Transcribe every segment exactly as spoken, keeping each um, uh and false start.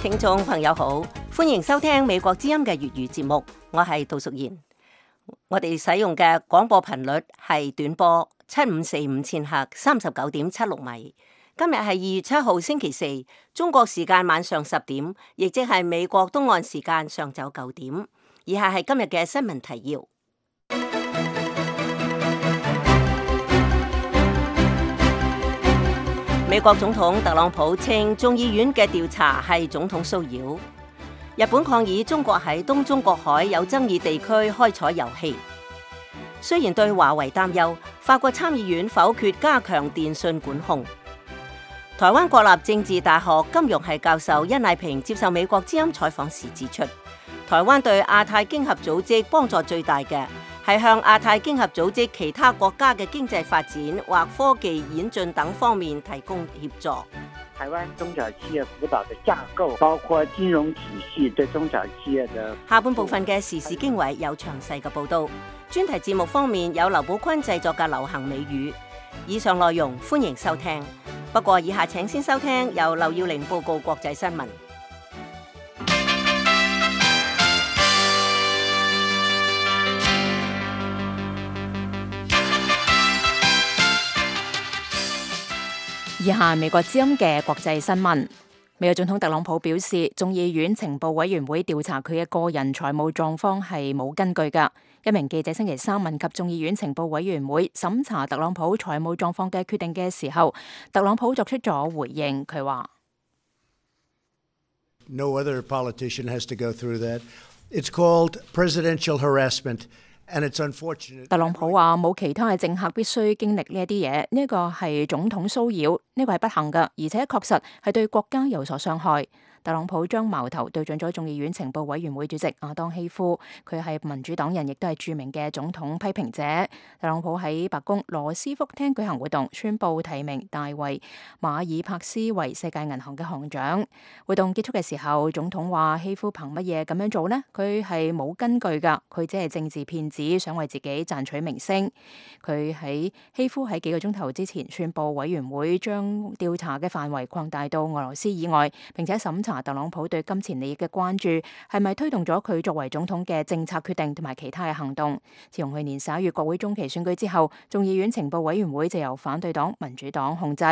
聽眾朋友好，歡迎收聽美國之音嘅粵語節目，我係杜淑賢。我哋使用嘅廣播頻率係短波七五四五千赫，三十九點七六米。今日係二月七號星期四，中國時間晚上十點，亦即係美國東岸時間上晝九點。以下係今日嘅新聞提要。美國總統特朗普稱眾議院嘅調查係總統騷擾。日本抗議中國喺東中國海有爭議地區開採油氣。雖然對華為擔憂，法國參議院否決加強電訊管控。台灣國立政治大學金融系教授殷麗萍接受美國之音採訪時指出，台灣對亞太經合組織幫助最大嘅係向亞太經合組織其他國家嘅經濟發展或科技演進等方面提供協助。台灣中小企業輔導的架構，包括金融體系對中小企業的。下半部分嘅時事經緯有詳細嘅報道。專題節目方面有劉寶坤製作嘅流行美語。以上內容歡迎收聽。不過以下請先收聽由劉耀玲報告國際新聞。以下美國之音嘅國際新聞。美國總統特朗普表示，眾議院情報委員會調查佢嘅個人財務狀況係冇根據㗎。一名記者星期三問及眾議院情報委員會審查特朗普財務狀況嘅決定嘅時候，特朗普作出咗回應。佢話：No other politician has to go through that. It's called presidential harassment, and it's unfortunate. 特朗普話冇其他嘅政客必須經歷呢一啲嘢，呢個係總統騷擾，呢個係不幸㗎，而且確實係對國家有所傷害。特朗普將矛頭對準咗眾議院情報委員會主席亞當希夫，佢係民主黨人，亦都係著名嘅總統批評者。特朗普喺白宮羅斯福廳舉行活動，宣布提名大衛馬爾帕斯為世界銀行嘅行長。活動結束嘅時候，總統話希夫憑乜嘢咁樣做呢？佢係冇根據㗎，佢只係政治騙子，想為自己賺取名聲。佢喺希夫喺幾個鐘頭之前宣布，委員會將調查嘅範圍擴大到俄羅斯以外，並且審查特朗普對金錢利益嘅關注係咪推動咗佢作為總統嘅政策決定同埋其他嘅行動。自從去年十一月國會中期選舉之後，眾議院情報委員會就由反對黨民主黨控制。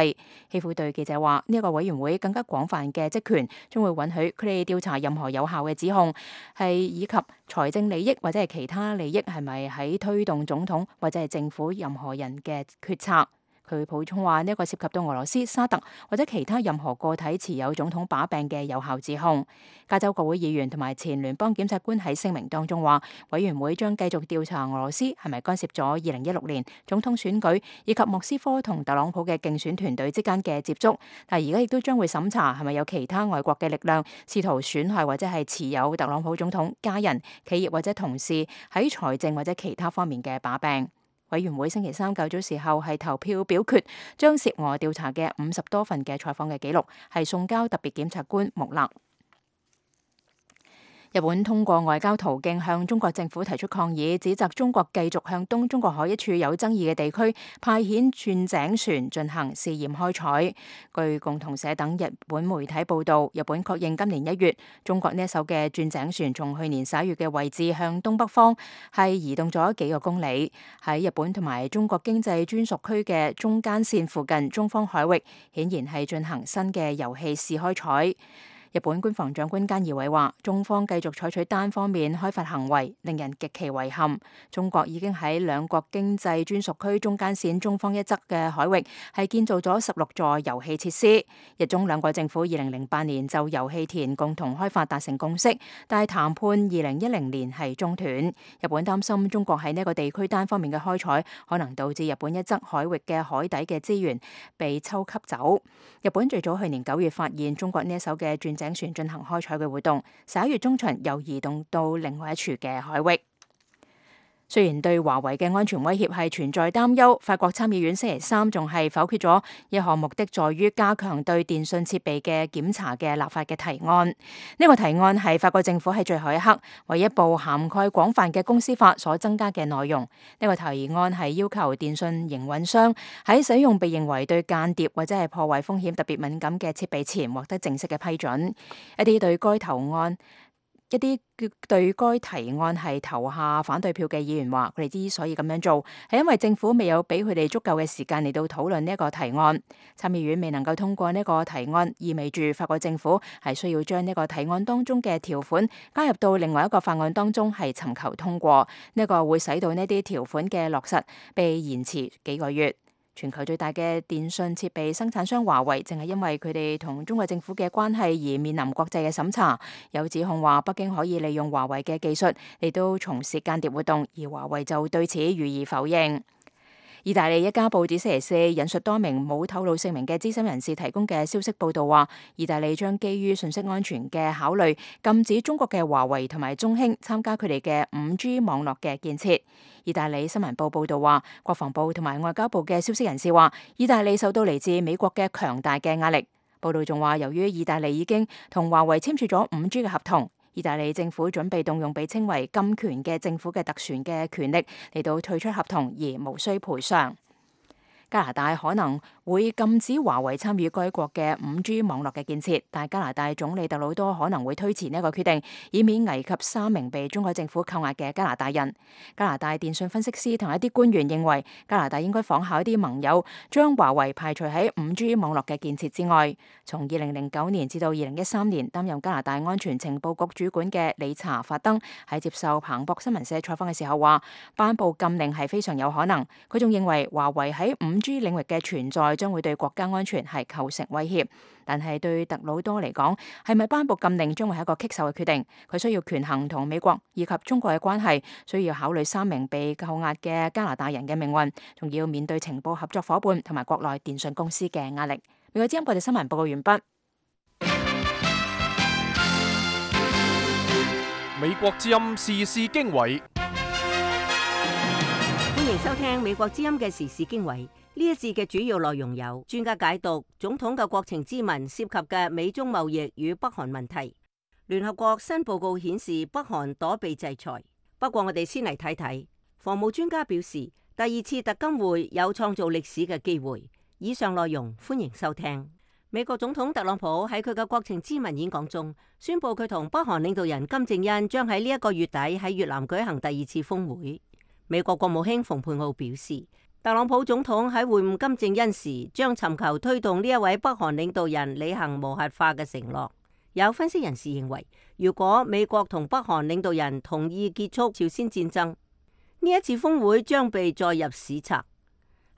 希夫對記者話：呢一個委員會更加廣泛嘅職權，將會允許佢哋調查任何有效嘅指控，係以及財政利益或者係其他利益係咪喺推動總統或者係政府任何人嘅決策。佢補充話：呢一個涉及到俄羅斯、沙特或者其他任何個體持有總統把柄嘅有效指控。加州國會議員同埋前聯邦檢察官喺聲明當中話，委員會將繼續調查俄羅斯係咪干涉咗二零一六年總統選舉以及莫斯科同特朗普嘅競選團隊之間嘅接觸，但係而家亦都將會審查係咪有其他外國嘅力量試圖損害或者係持有特朗普總統家人、企業或者同事喺財政或者其他方面嘅把柄。委員會星期三較早時候係投票表決，將涉俄調查嘅五十多份嘅採訪嘅記錄係送交特別檢察官穆勒。日本通過外交途徑向中國政府提出抗議，指責中國繼續向東中國海一處有爭議嘅地區派遣鑽井船進行試驗開採。據共同社等日本媒體報道，日本確認今年一月中國呢一艘嘅鑽井船從去年十一月嘅位置向東北方係移動咗幾個公里，喺日本同埋中國經濟專屬區嘅中間線附近中方海域，顯然係進行新嘅油氣試開採。日本官房長官菅義偉話：中方繼續採取單方面開發行為，令人極其遺憾。中國已經喺兩國經濟專屬區中間線中方一側嘅海域係建造咗十六座油氣設施。日中兩國政府二零零八年就油氣田共同開發達成共識，但係談判二零一零年係中斷。日本擔心中國喺呢個地區單方面嘅開採，可能導致日本一側海域嘅海底嘅資源被抽吸走。日本最早去年九月發現中國呢一艘嘅鑽井船進行開採嘅活動，十一月中旬又移動到另外一處嘅海域。雖然對華為嘅安全威脅係存在擔憂，法國參議院星期三仲係否決咗一項目的在於加強對電訊設備嘅檢查嘅立法嘅提案。呢、這個提案係法國政府喺最後一刻為一部涵蓋廣泛嘅公司法所增加嘅內容。呢、這個提案係要求電訊營運商喺使用被認為對間諜或者係破壞風險特別敏感嘅設備前獲得正式嘅批准。一啲對該投案一啲對該提案係投下反對票嘅議員話，佢哋之所以咁樣做，係因為政府未有俾佢哋足夠嘅時間嚟到討論呢一個提案。參議院未能夠通過呢個提案，意味住法國政府係需要將呢個提案當中嘅條款加入到另外一個法案當中，係尋求通過。呢、這個會使到呢啲條款嘅落實被延遲幾個月。全球最大嘅電訊設備生產商華為，正係因為佢哋同中國政府嘅關係而面臨國際嘅審查。有指控話北京可以利用華為嘅技術嚟到從事間諜活動，而華為就對此予以否認。意大利一家報紙星期四引述多名冇透露姓名嘅資深人士提供嘅消息報道話，意大利將基於信息安全嘅考慮，禁止中國嘅華為同埋中興參加佢哋嘅五 G 網絡嘅建設。意大利新聞報報道話，國防部同埋外交部嘅消息人士話，意大利受到嚟自美國嘅強大嘅壓力。報道仲話，由於意大利已經同華為簽署咗五 G 嘅合同，意大利政府準備動用被稱為金權嘅政府嘅特權嘅權力嚟到退出合同，而無需賠償。加拿大可能會禁止華為參與該國嘅五 G 網絡嘅建設，但加拿大總理特魯多可能會推遲呢一個決定，以免危及三名被中國政府扣押嘅加拿大人。加拿大電訊分析師同一啲官員認為，加拿大應該仿效一啲盟友，將華為排除喺五 G 網絡嘅建設之外。從二零零九年至到二零一三年擔任加拿大安全情報局主管嘅理查法登喺接受彭博新聞社採訪嘅時候話，頒布禁令係非常有可能。佢仲認為華為喺五 G 領域嘅存在將會對國家安全係構成威脅，但係對特魯多嚟講，係咪頒布禁令將會係一個棘手嘅決定。佢需要權衡同美國以及中國嘅關係，需要考慮三名被扣押嘅加拿大人嘅命運，仲要面對情報合作夥伴同埋國內電訊公司嘅壓力。美國之音報道新聞報告完畢。美國之音時事經緯，歡迎收聽美國之音嘅時事經緯。呢一節嘅主要內容有：專家解讀總統嘅國情咨文涉及嘅美中貿易與北韓問題；聯合國新報告顯示北韓躲避制裁。不過我哋先嚟睇睇，防務專家表示第二次特金會有創造歷史嘅機會。以上內容歡迎收聽。美國總統特朗普喺佢嘅國情咨文演講中宣布，佢同北韓領導人金正恩將喺呢一個月底喺越南舉行第二次峰會。美國國務卿蓬佩奧表示，特朗普總統喺會晤金正恩時，將尋求推動呢一位北韓領導人履行無核化嘅承諾。有分析人士認為，如果美國同北韓領導人同意結束朝鮮戰爭，呢一次峰會將被載入史冊。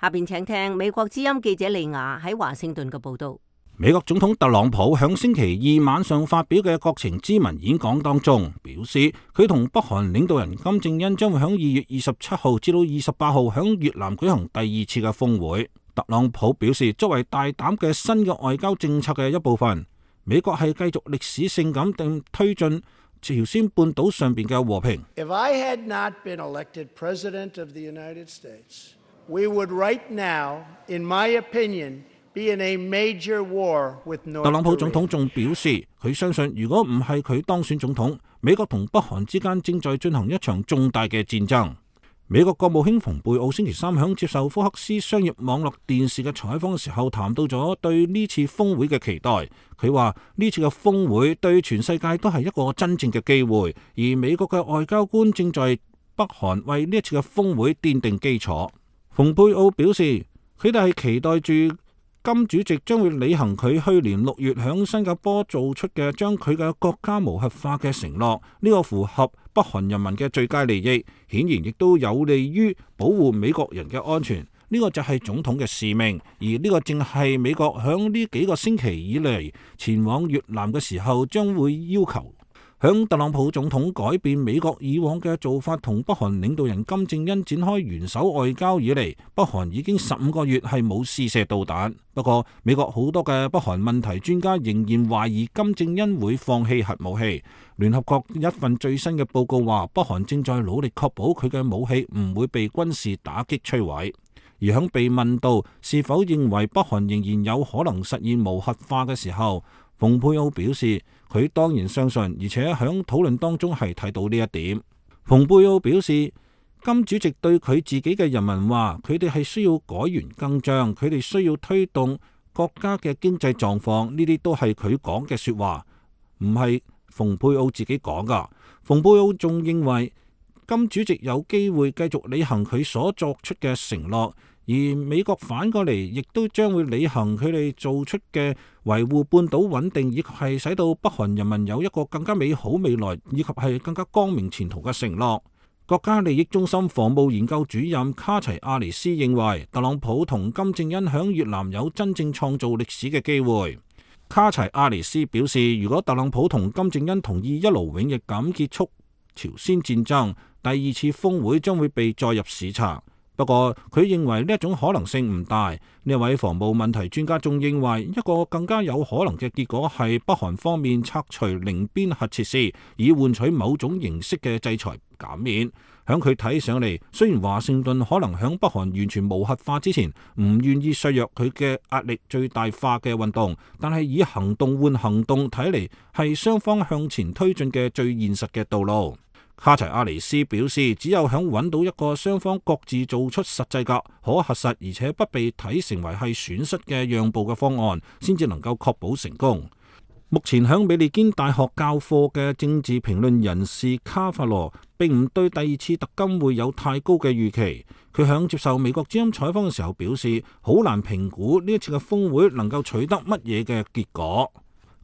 下邊請聽美國之音記者利亞喺華盛頓嘅報道。美國總統特朗普響星期二晚上發表嘅國情咨文演講當中，表示佢同北韓領導人金正恩將會響二月二十七號至到二十八號響越南舉行第二次嘅峰會。特朗普表示，作為大膽嘅新嘅外交政策嘅一部分，美國係繼續歷史性咁定推進朝鮮半島上邊嘅和平。If I had not been elected president of the United States, we would right now, in my opinion, be in a major war with North Korea. 特朗普總統仲表示，佢相信如果唔係佢當選總統，美國同北韓之間正在進行一場重大嘅戰爭。美國國務卿蓬佩奧星期三響接受福克斯商業網絡電視嘅採訪嘅時候，談到咗對呢次峰會嘅期待。佢話呢次嘅峰會對全世界都係一個真正嘅機會，而美國嘅外交官正在北韓為呢一次嘅峰會奠定基礎。蓬佩奧表示，佢哋係期待住金主席將會履行佢去年六月響新加坡做出嘅將佢嘅國家無核化嘅承諾，呢個符合北韓人民嘅最佳利益，顯然亦都有利於保護美國人嘅安全。呢個就係總統嘅使命，而呢個正係美國響呢幾個星期以嚟前往越南嘅時候將會要求。響特朗普總統改變美國以往嘅做法，同北韓領導人金正恩展開元首外交以嚟，北韓已經十五個月係冇試射導彈。不過，美國好多嘅北韓問題專家仍然懷疑金正恩會放棄核武器。聯合國一份最新嘅報告話，北韓正在努力確保佢嘅武器唔會被軍事打擊摧毀。而響被問到是否認為北韓仍然有可能實現無核化嘅時候，蓬佩奧表示佢當然相信，而且響討論當中係睇到呢一點。蓬佩奧表示，金主席對佢自己嘅人民話，佢哋係需要改弦更張，佢哋需要推動國家嘅經濟狀況，呢啲都係佢講嘅說話，唔係蓬佩奧自己講噶。蓬佩奧仲認為金主席有機會繼續履行佢所作出嘅承諾，而美國反過嚟亦都將會履行佢哋做出嘅維護半島穩定，以及係使到北韓人民有一個更加美好未來，以及係更加光明前途嘅承諾。國家利益中心防務研究主任卡齊亞尼斯認為，特朗普同金正恩響越南有真正創造歷史嘅機會。卡齊亞尼斯表示，如果特朗普同金正恩同意一勞永逸咁結束朝鮮戰爭，第二次峰會將會被載入史冊。不過佢認為呢一種可能性唔大。呢位防務問題專家仲認為，一個更加有可能嘅結果係北韓方面拆除寧邊核設施，以換取某種形式嘅制裁減免。響佢睇上嚟，雖然華盛頓可能響北韓完全無核化之前唔願意削弱佢嘅壓力最大化嘅運動，但係以行動換行動睇嚟係雙方向前推進嘅最現實嘅道路。卡齊亞尼斯表示，只有響揾到一個雙方各自做出實際嘅可核實，而且不被睇成為係損失嘅讓步嘅方案，先至能夠確保成功。目前響美利堅大學教課嘅政治評論人士卡法羅並唔對第二次特金會有太高嘅預期。佢響接受美國之音採訪嘅時候表示，好難評估呢一次嘅峰會能夠取得乜嘢嘅結果。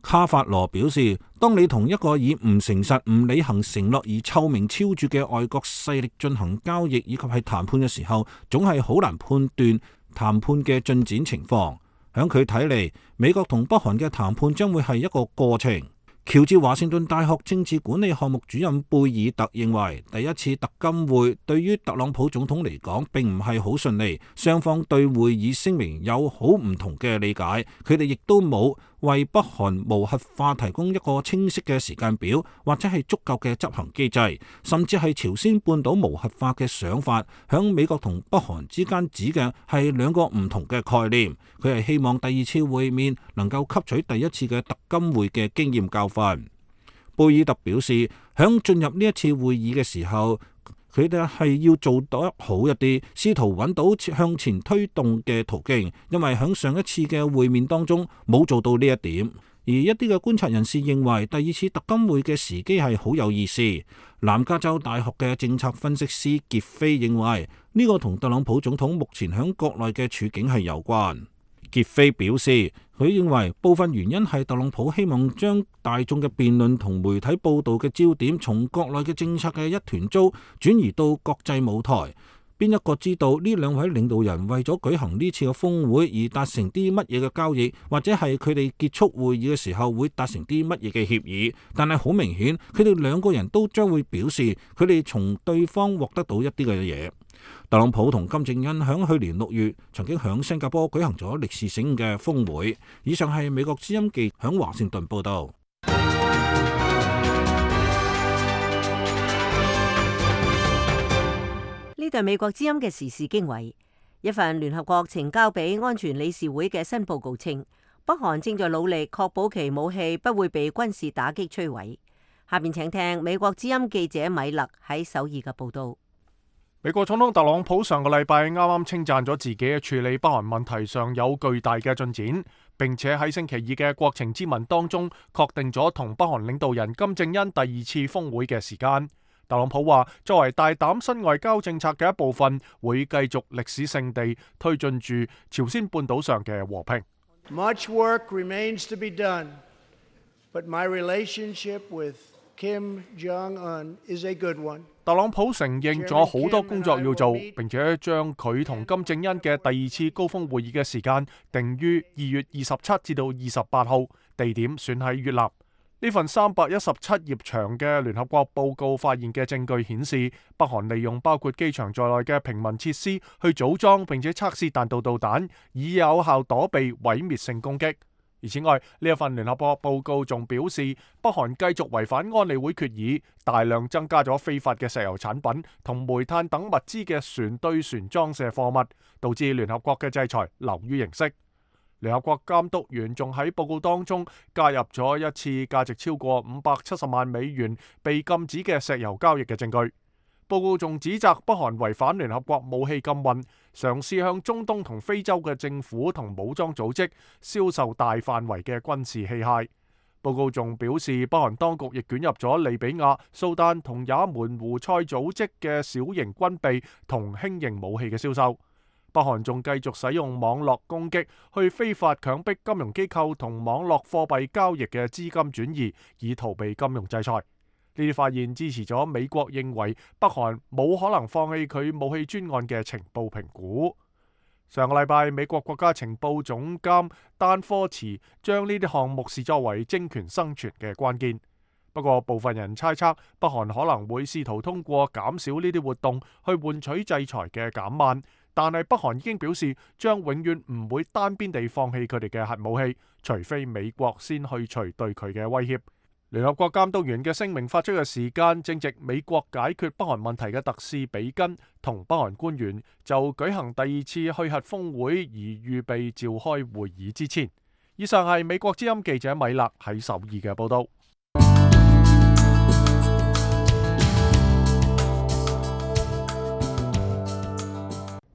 卡法羅表示，當你同一個以唔誠實、唔履行承諾而臭名昭著嘅外國勢力進行交易以及係談判嘅時候，總係好難判斷談判嘅進展情況。響佢睇嚟，美國同北韓嘅談判將會係一個過程。喬治華盛頓大學政治管理項目主任貝爾特認為，第一次特金會對於特朗普總統嚟講並唔係好順利，雙方對會議聲明有好唔同嘅理解，佢哋亦都冇為北韓無核化提供一個清晰嘅時間表，或者係足夠嘅執行機制，甚至係朝鮮半島無核化嘅想法，響美國同北韓之間指嘅係兩個唔同嘅概念。佢係希望第二次會面能夠吸取第一次嘅特金會嘅經驗教訓。貝爾特表示，響進入呢一次會議嘅時候，佢哋係要做得好一啲，試圖揾到向前推動嘅途徑，因為響上一次嘅會面當中冇做到呢一點。而一啲嘅觀察人士認為，第二次特金會嘅時機係好有意思。南加州大學嘅政策分析師傑菲認為，呢個同特朗普總統目前響國內嘅處境係有關。傑菲表示，佢認為部分原因係特朗普希望將大眾嘅辯論同媒體報道嘅焦點從國內嘅政策嘅一團糟轉移到國際舞台。邊一個知道呢兩位領導人為咗舉行呢次嘅峰會而達成啲乜嘢嘅交易，或者係佢哋結束會議嘅時候會達成啲乜嘢嘅協議？但係好明顯，佢哋兩個人都將會表示佢哋從對方獲得到一啲嘅嘢。特朗普同金正恩響去年六月曾經響新加坡舉行咗歷史性嘅峰會。以上係美國之音記響華盛頓報道。呢度美國之音嘅時事經緯，一份聯合國呈交俾安全理事會嘅新報告稱，北韓正在努力確保其武器不會被軍事打擊摧毀。下面請聽美國之音記者米勒喺首爾嘅報道。美國總統特朗普上個禮拜啱啱稱讚咗自己喺處理北韓問題上有巨大嘅進展，並且喺星期二嘅國情咨文當中確定咗同北韓領導人金正恩第二次峰會嘅時間。特朗普話，作為大膽新外交政策嘅一部分，會繼續歷史性地推進住朝鮮半島上嘅和平。Much work remains to be done, but my relationship with Kim Jong-un is a good one. 特朗普承認咗好多工作要做，並且將佢同金正恩嘅第二次高峰會議嘅時間定於二月二十七至到二十八號，地點選喺越南。呢份三百一十七頁長嘅聯合國報告發現嘅證據顯示，北韓利用包括機場在內嘅平民設施去組裝並且測試彈道導彈，以有效躲避毀滅性攻擊。而此外，呢一份聯合國報告仲表示，北韓繼續違反安理會決議，大量增加咗非法嘅石油產品同煤炭等物資嘅船對船裝卸貨物，導致聯合國嘅制裁流於形式。聯合國監督員仲喺報告當中加入咗一次價值超過五百七十萬美元被禁止嘅石油交易嘅證據。報告仲指責北韓違反聯合國武器禁運，嘗試向中東同非洲嘅政府同武裝組織銷售大範圍嘅軍事器械。報告仲表示，北韓當局亦捲入咗利比亞、蘇丹同也門胡塞組織嘅小型軍備同輕型武器嘅銷售。北韓仲繼續使用網絡攻擊去非法強迫金融機構同網絡貨幣交易嘅資金轉移，以逃避金融制裁。呢啲發現支持咗美國認為北韓冇可能放棄佢武器專案嘅情報評估。上個禮拜，美國國家情報總監丹科茨將呢啲項目視作為政權生存嘅關鍵。不過，部分人猜測北韓可能會試圖通過減少呢啲活動去換取制裁嘅減慢。但係北韓已經表示將永遠唔會單邊地放棄佢哋嘅核武器，除非美國先去除對佢嘅威脅。聯合國監督員嘅聲明發出嘅時間正值美國解決北韓問題嘅特使比根同北韓官員就舉行第二次去核峰會而預備召開會議之前。以上係美國之音記者米勒喺首爾嘅報道。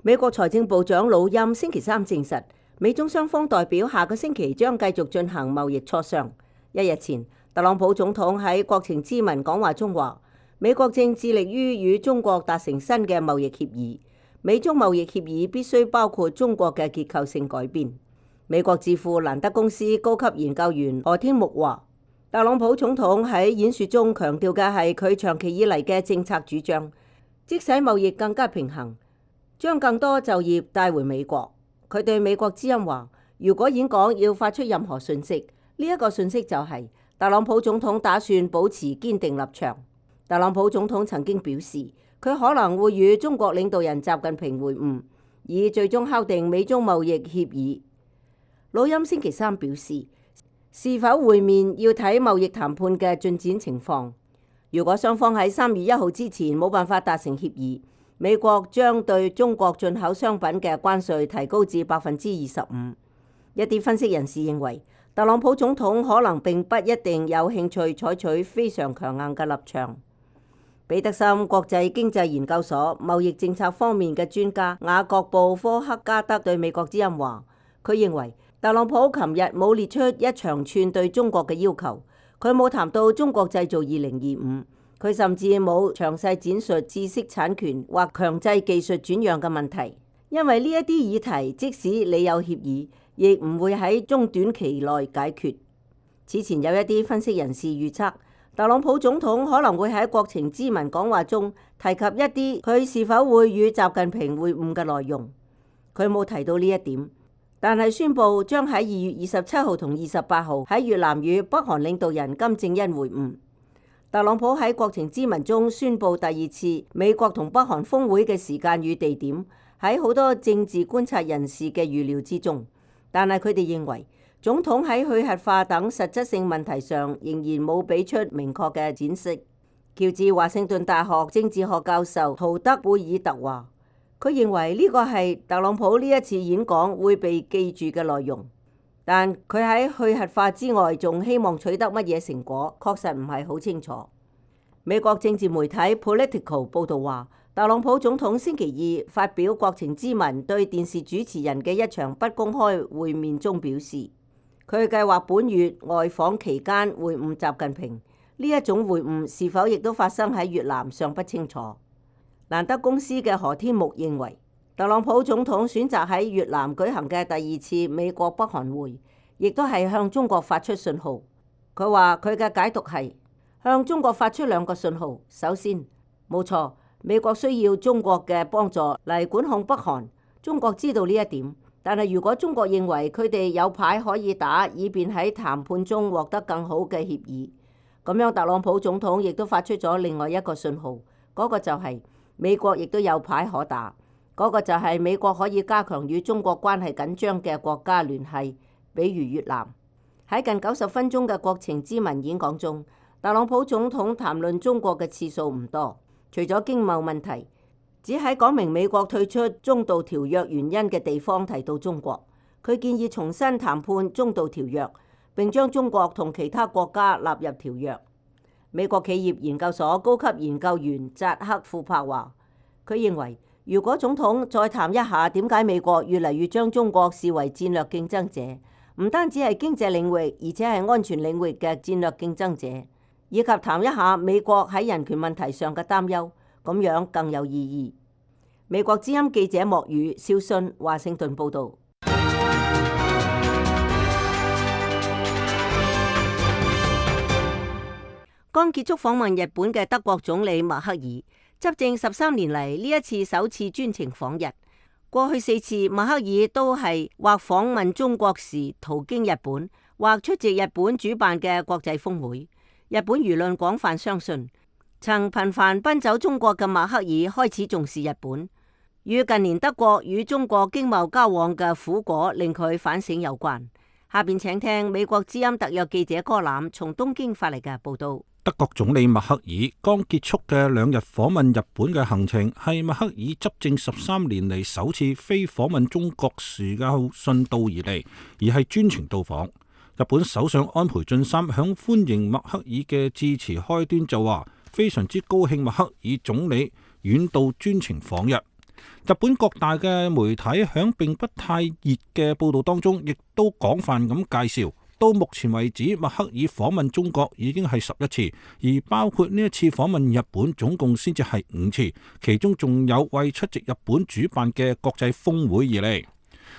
美國財政部長魯欽星期三證實，美中雙方代表下個星期將繼續進行貿易磋商。一日前，特朗普總統喺國情咨文講話中話，美國正致力於與中國達成新嘅貿易協議，美中貿易協議必須包括中國嘅結構性改變。美國智庫蘭德公司高級研究員何天木話，特朗普總統喺演說中強調嘅係佢長期以嚟嘅政策主張，即使貿易更加平衡，將更多就業帶回美國。佢對美國之音話，如果演講要發出任何訊息，呢一個訊息就係特朗普總統打算保持堅定立場。特朗普總統曾經表示，佢可能會與中國領導人習近平會晤，以最終敲定美中貿易協議。魯欽星期三表示，是否會面要睇貿易談判嘅進展情況。如果雙方喺三月一號之前冇辦法達成協議，美國將對中國進口商品嘅關稅提高至百分之二十五。一啲分析人士認為，特朗普總統可能並不一定有興趣採取非常強硬嘅立場。彼得森國際經濟研究所貿易政策方面嘅專家雅各布科克加德對美國之音話，佢認為特朗普琴日冇列出一長串對中國嘅要求，佢冇談到中國製造二零二五，佢甚至冇詳細展述知識產權或強制技術轉讓嘅問題，因為呢一啲議題即使你有協議，亦唔會喺中短期內解決。此前有一啲分析人士預測，特朗普總統可能會喺國情咨文講話中提及一啲佢是否會與習近平會晤嘅內容，佢冇提到呢一點。但係宣布將喺二月二十七號同二十八號喺越南與北韓領導人金正恩會晤。特朗普喺國情咨文中宣布第二次美國同北韓峰會嘅時間與地點，喺好多政治觀察人士嘅預料之中。但係佢哋認為，總統喺去核化等實質性問題上仍然冇俾出明確嘅展示。喬治華盛頓大學政治學教授陶德貝爾特話，佢認為呢個係特朗普呢一次演講會被記住嘅內容，但佢喺去核化之外仲希望取得乜嘢成果，確實唔係好清楚。美國政治媒體 Politico 報導話，特朗普總統星期二發表國情咨文對電視主持人嘅一場不公開會面中表示，佢計劃本月外訪期間會晤習近平。呢一種會晤是否亦都發生喺越南尚不清楚。蘭德公司嘅何天木認為，特朗普總統選擇喺越南舉行嘅第二次美國北韓會，亦都係向中國發出信號。佢話佢嘅解讀係向中國發出兩個信號。首先，冇錯，美國需要中國嘅幫助嚟管控北韓，中國知道呢一點，但係如果中國認為佢哋有牌可以打，以便喺談判中獲得更好嘅協議，咁樣特朗普總統亦都發出咗另外一個信號，嗰個就係美國亦都有牌可打，嗰個就係美國可以加強與中國關係緊張嘅國家聯繫，比如越南。喺近九十分鐘嘅國情咨文演講中，特朗普總統談論中國嘅次數唔多，除咗經貿問題，只喺講明美國退出中導條約原因嘅地方提到中國。佢建議重新談判中導條約，並將中國同其他國家納入條約。美國企業研究所高級研究員扎克庫珀話，佢認為如果總統再談一下點解美國越嚟越將中國視為戰略競爭者，唔單止係經濟領域，而且係安全領域嘅戰略競爭者，以及談一下美國喺人權問題上嘅擔憂，咁樣更有意義。美國之音記者莫宇肖遜華盛頓報導。剛結束訪問日本嘅德國總理默克爾，執政十三年嚟呢一次首次專程訪日。過去四次默克爾都係或訪問中國時途經日本，或出席日本主辦嘅國際峰會。日本輿論廣泛相信，曾頻繁奔走中國嘅默克爾開始重視日本，與近年德國與中國經貿交往嘅苦果令佢反省有關。下邊請聽美國之音特約記者柯攬從東京發嚟嘅報道。德國總理默克爾剛結束嘅兩日訪問日本嘅行程，係默克爾執政十三年嚟首次非訪問中國時嘅順道而嚟，而係專程到訪。日本首相安倍晉三響歡迎默克爾嘅致辭開端就話，非常之高興默克爾總理遠道專程訪日。日本各大嘅媒體響並不太熱嘅報道當中，亦都廣泛咁介紹。到目前為止，默克爾訪問中國已經係十一次，而包括呢一次訪問日本，總共先至係五次，其中仲有為出席日本主辦嘅國際峰會而嚟。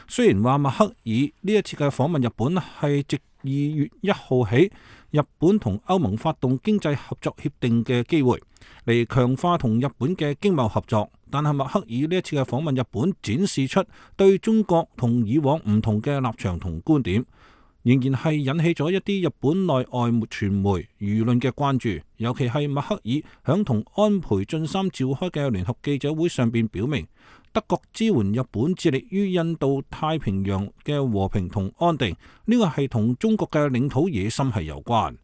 雖然話默克爾呢一次嘅訪問日本係藉二月一號起日本同歐盟發動經濟合作協定嘅機會嚟強化同日本嘅經貿合作，但係默克爾呢一次嘅訪問日本展示出對中國同以往唔同嘅立場同觀點，仍然係引起咗一啲日本內外傳媒輿論嘅關注，尤其係默克爾響同安倍晉三召開嘅聯合記者會上邊表明，德國支援日本致力於印度太平洋嘅和平同安定，呢個係同中國嘅領土野心係有關。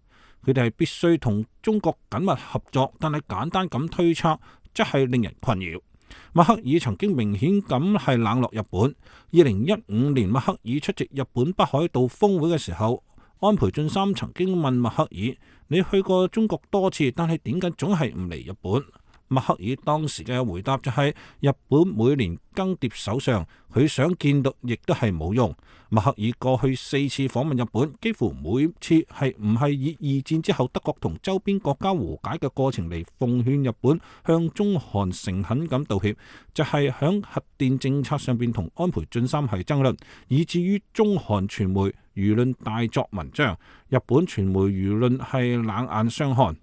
佢哋係必須同中國緊密合作，但係簡單咁推測則係令人困擾。默克爾曾經明顯咁係冷落日本。二零一五年默克爾出席日本北海道峰會嘅時候，安倍晉三曾經問默克爾：你去過中國多次，但係點解總係唔嚟日本？默克爾當時嘅回答就係：日本每年更迭首相，佢想見到亦都係冇用。默克爾過去四次訪問日本，幾乎每次係唔係以二戰之後德國同周邊國家和解嘅過程嚟奉勸日本向中韓誠懇咁道歉，就係響核電政策上邊同安倍晉三係爭論，以至於中韓傳媒輿論大作文章，日本傳媒輿論係冷眼相看。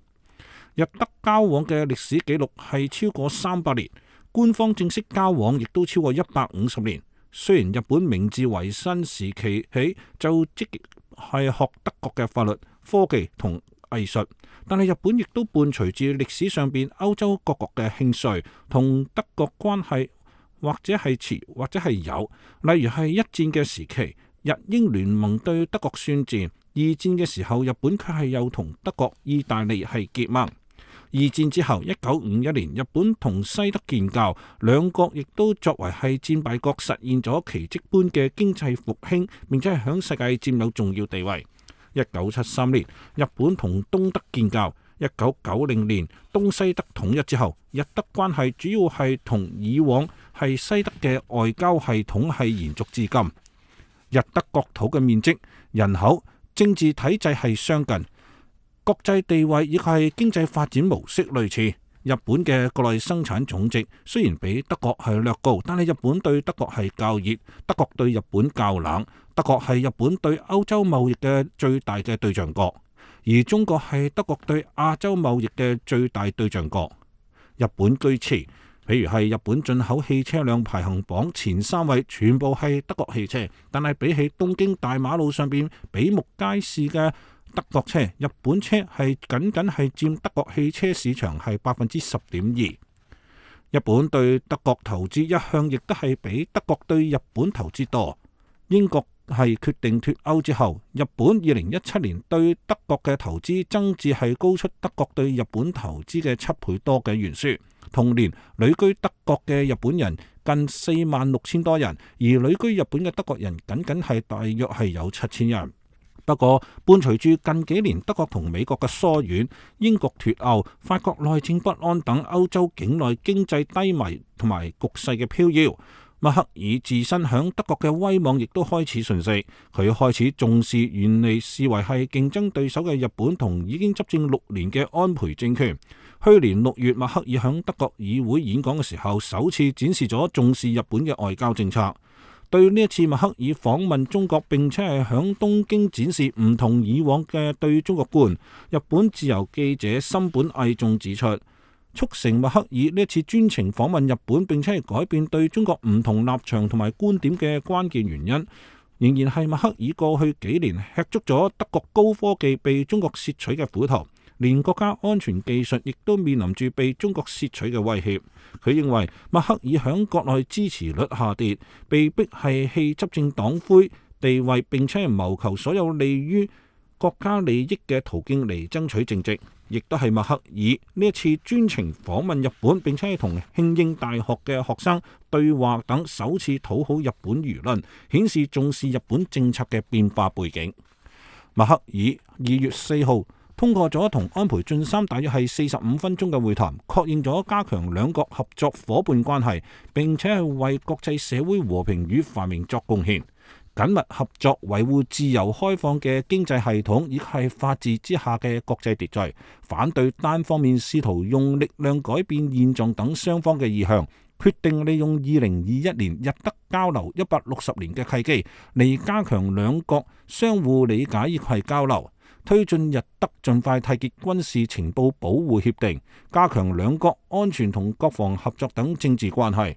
日德交往嘅歷史記錄係超過三百年，官方正式交往亦都超過一百五十年。雖然日本明治維新時期起就積極係學德國嘅法律、科技同藝術，但係日本亦都伴隨住歷史上邊歐洲各國嘅興衰，同德國關係或者係遲或者係有。例如係一戰嘅時期，日英聯盟對德國宣戰；二戰嘅時候，日本卻係又同德國、意大利係結盟。二戰之後，一九五一年，日本同西德建交，兩國亦都作為係戰敗國，實現咗奇蹟般嘅經濟復興，並且係響世界佔有重要地位。一九七三年，日本同東德建交；一九九零年，東西德統一之後，日德關係主要係同以往係西德嘅外交系統係延續至今。日德國土嘅面積、人口、政治體制係相近。國際地位亦係經濟發展模式類似。日本嘅國內生產總值雖然比德國係略高，但係日本對德國係較熱，德國對日本較冷。德國係日本對歐洲貿易嘅最大嘅對象國，而中國係德國對亞洲貿易嘅最大對象國。日本據詞，譬如係日本進口汽車輛排行榜前三位全部係德國汽車，但係比起東京大馬路上邊比目皆是嘅德國車，日本車係僅僅係佔德國汽車市場係百分之十點二。日本對德國投資一向亦都係比德國對日本投資多。英國係決定脫歐之後，日本二零一七年對德國嘅投資增至係高出德國對日本投資嘅七倍多嘅懸殊。同年旅居德國嘅日本人近四萬六千多人，而旅居日本嘅德國人僅僅係大約係有七千人。不過伴隨住近幾年德國同美國嘅疏遠、英國脫歐、法國內政不安等歐洲境內經濟低迷同埋局勢嘅飄搖，默克爾自身響德國嘅威望亦都開始順勢，佢開始重視原嚟視為係競爭對手嘅日本同已經執政六年嘅安倍政權。去年六月，默克爾響德國議會演講嘅時候，首次展示咗重視日本嘅外交政策。對呢一次默克爾訪問中國，並且係響東京展示唔同以往嘅對中國觀，日本自由記者森本毅仲指出，促成默克爾呢一次專程訪問日本，並且係改變對中國唔同立場同埋觀點嘅關鍵原因，仍然係默克爾過去幾年吃足咗德國高科技被中國竊取嘅苦頭，連國家安全技術亦都面臨住被中國竊取嘅威脅。佢認為默克爾響國內支持率下跌，被逼係棄執政黨魁地位，並且係謀求所有利於國家利益嘅途徑嚟爭取政績，亦都係默克爾呢一次專程訪問日本，並且係同慶應大學嘅學生對話等，首次討好日本輿論，顯示重視日本政策嘅變化背景。默克爾二月四號通過咗同安倍晉三大約係四十五分鐘嘅會談，確認咗加強兩國合作夥伴關係，並且係為國際社會和平與繁榮作貢獻，緊密合作維護自由開放嘅經濟系統，以及係法治之下嘅國際秩序，反對單方面試圖用力量改變現狀等雙方嘅意向，決定利用二零二一年日德交流一百六十年嘅契機嚟加強兩國相互理解以及係交流，推進日德盡快締結軍事情報保護協定，加強兩國安全同國防合作等政治關係。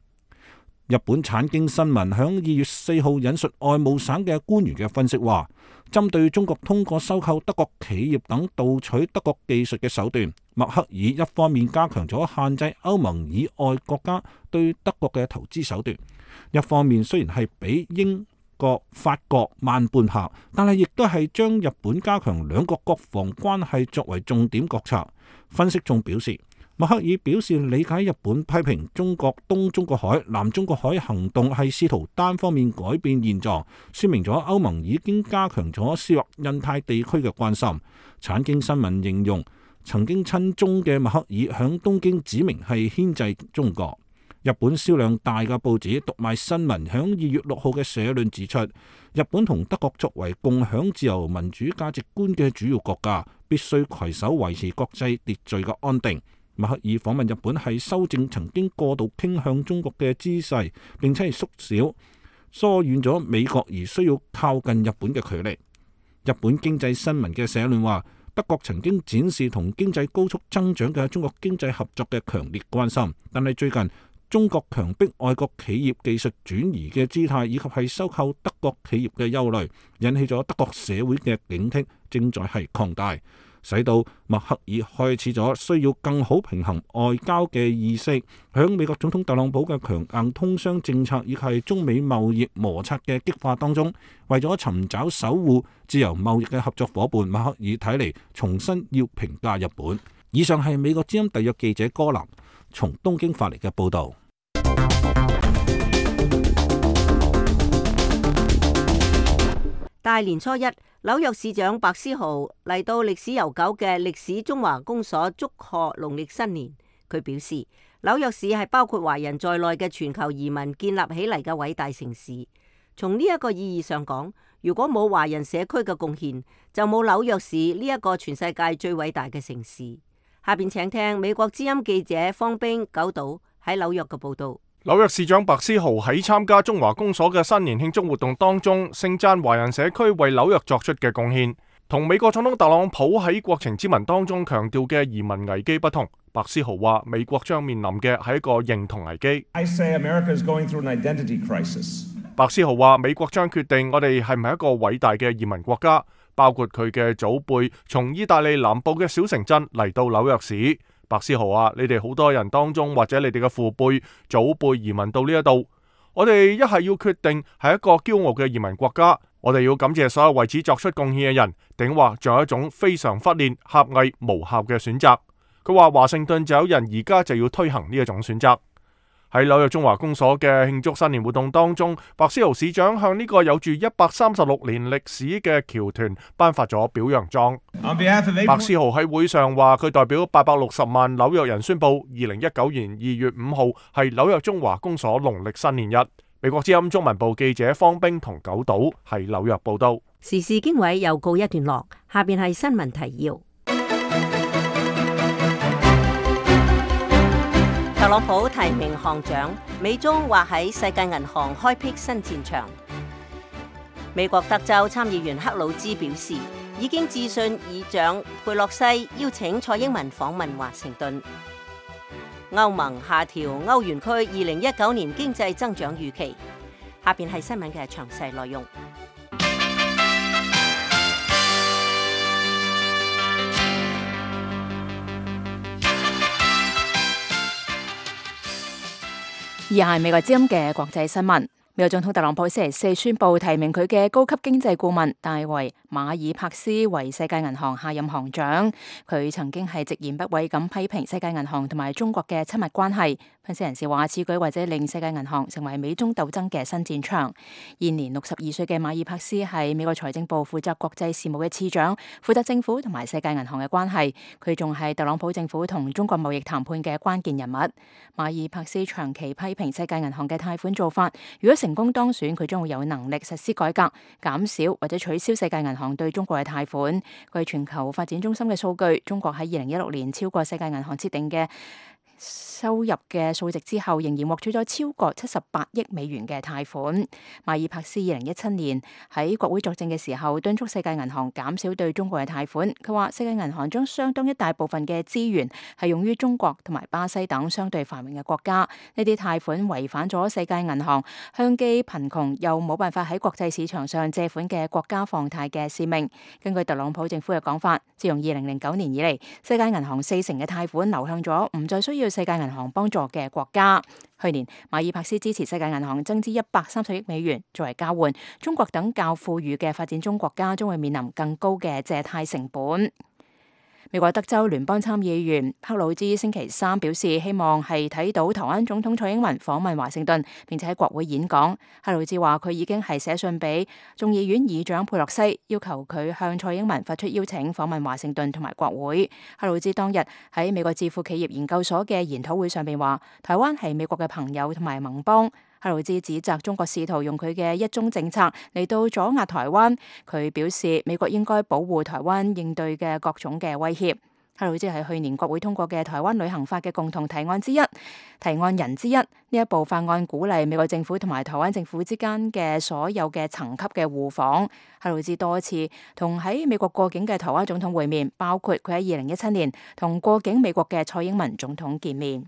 日本產經新聞響二月四號引述外務省嘅官員嘅分析話，針對中國通過收購德國企業等盜取德國技術嘅手段，默克爾一方面加強咗限制歐盟以外國家對德國嘅投資手段，一方面雖然係比英國、法國慢半拍，但係亦都係將日本加強兩國國防關係作為重點國策。分析仲表示，默克爾表示理解日本批評中國東中國海、南中國海行動係試圖單方面改變現狀，說明咗歐盟已經加強咗涉入印太地區嘅關心。產經新聞形容，曾經親中嘅默克爾響東京指明係牽制中國。日本銷量大嘅報紙讀賣新聞響二月六號嘅社論指出，日本同德國作為共享自由民主價值觀嘅主要國家，必須攜手維持國際秩序嘅安定。默克爾訪問日本係修正曾經過度傾向中國嘅姿勢，並且係縮小疏遠咗美國而需要靠近日本嘅距離。日本經濟新聞嘅社論話，德國曾經展示同經濟高速增長嘅中國經濟合作嘅強烈關心，但係最近中國強迫外國企業技術轉移嘅姿態，以及係收購德國企業嘅憂慮，引起咗德國社會嘅警惕，正在係擴大，使到默克爾開始咗需要更好平衡外交嘅意識。響美國總統特朗普嘅強硬通商政策以及係中美貿易摩擦嘅激化當中，為咗尋找守護自由貿易嘅合作夥伴，默克爾睇嚟重新要評價日本。以上係美國之音特約記者柯南從東京發嚟嘅報道。大年初一，紐約市長白思豪嚟到歷史悠久嘅歷史中華公所祝賀農曆新年。佢表示，紐約市係包括華人在內嘅全球移民建立起嚟嘅偉大城市。從呢一個意義上講，如果冇華人社區嘅貢獻，就冇紐約市呢一個全世界最偉大嘅城市。下邊請聽美國之音記者方冰九島喺紐約嘅報道。紐約市長白思豪喺參加中華公所嘅新年慶祝活動當中，盛讚華人社區為紐約作出嘅貢獻。同美國總統特朗普喺國情咨文當中強調嘅移民危機不同，白思豪話美國將面臨嘅係一個認同危機。I say America is going through an identity crisis. 白思豪話美國將決定我哋係唔係一個偉大嘅移民國家，包括佢嘅祖輩從意大利南部嘅小城鎮嚟到紐約市。白思豪話你哋好多人當中或者你哋嘅父輩、祖輩移民到呢一度，我哋一係要決定係一個驕傲嘅移民國家，我哋要感謝所有為此作出貢獻嘅人，定話仲有一種非常忽略、狹隘、無效嘅選擇。佢話華盛頓就有人而家就要推行呢一種選擇。喺紐約中華公所嘅慶祝新年活動當中，白思豪市長向呢個有住一百三十六年歷史嘅僑團頒發咗表揚狀。白思豪喺會上話，佢代表八百六十萬紐約人宣布，二零一九年二月五號係紐約中華公所農曆新年日。美國之音中文部記者方冰同九島喺紐約報道。時事經緯又告一段落，下邊係新聞提要。特朗普提名行長，美中或喺世界銀行開闢新戰場。美國德州參議員克魯茲表示，已經致信議長佩洛西，邀請蔡英文訪問華盛頓。歐盟下調歐元區二零一九年經濟增長預期。下邊係新聞嘅詳細內容。以下係美國之音嘅國際新聞。美國總統特朗普星期四宣布提名佢嘅高級經濟顧問戴維馬爾帕斯為世界銀行下任行長。佢曾經係直言不諱咁批評世界銀行同埋中國嘅親密關係。分析人士話，此舉或者令世界銀行成為美中鬥爭嘅新戰場。現年六十二歲嘅馬爾帕斯係美國財政部負責國際事務嘅次長，負責政府同埋世界銀行嘅關係。佢仲係特朗普政府同中國貿易談判嘅關鍵人物。馬爾帕斯長期批評世界銀行嘅貸款做法，如果成功當選，佢將會有能力實施改革，減少或者取消世界銀行對中國嘅貸款。據全球發展中心嘅數據，中國喺二零一六年超過世界銀行設定嘅收入嘅數值之後，仍然獲取咗超過七十八億美元嘅貸款。馬爾帕斯二零一七年喺國會作證嘅時候，敦促世界銀行減少對中國嘅貸款。佢話世界銀行將相當一大部分嘅資源係用於中國同埋巴西等相對繁榮嘅國家。呢啲貸款違反咗世界銀行向既貧窮又冇辦法喺國際市場上借款嘅國家放貸嘅使命。根據特朗普政府嘅講法，自從二零零九年以嚟，世界銀行四成嘅貸款流向咗唔再需要世界銀行幫助嘅國家。去年馬爾帕斯支持世界銀行增資一百三十億美元作為交換，中國等較富裕嘅發展中國家將會面臨更高嘅借貸成本。美國德州聯邦參議員克魯茲星期三表示，希望係睇到台灣總統蔡英文訪問華盛頓，並且喺國會演講。克魯茲話佢已經係寫信俾眾議院議長佩洛西，要求佢向蔡英文發出邀請訪問華盛頓同埋國會。克魯茲當日喺美國智庫企業研究所嘅研討會上邊話，台灣係美國嘅朋友同埋盟邦。克魯茲指責中國試圖用佢嘅一中政策嚟到阻壓台灣。佢表示美國應該保護台灣應對嘅各種嘅威脅。克魯茲係去年國會通過嘅台灣旅行法嘅共同提案之一，提案人之一。呢一部法案鼓勵美國政府同埋台灣政府之間嘅所有嘅層級嘅互訪。克魯茲多次同喺美國過境嘅台灣總統會面，包括佢喺二零一七年同過境美國嘅蔡英文總統見面。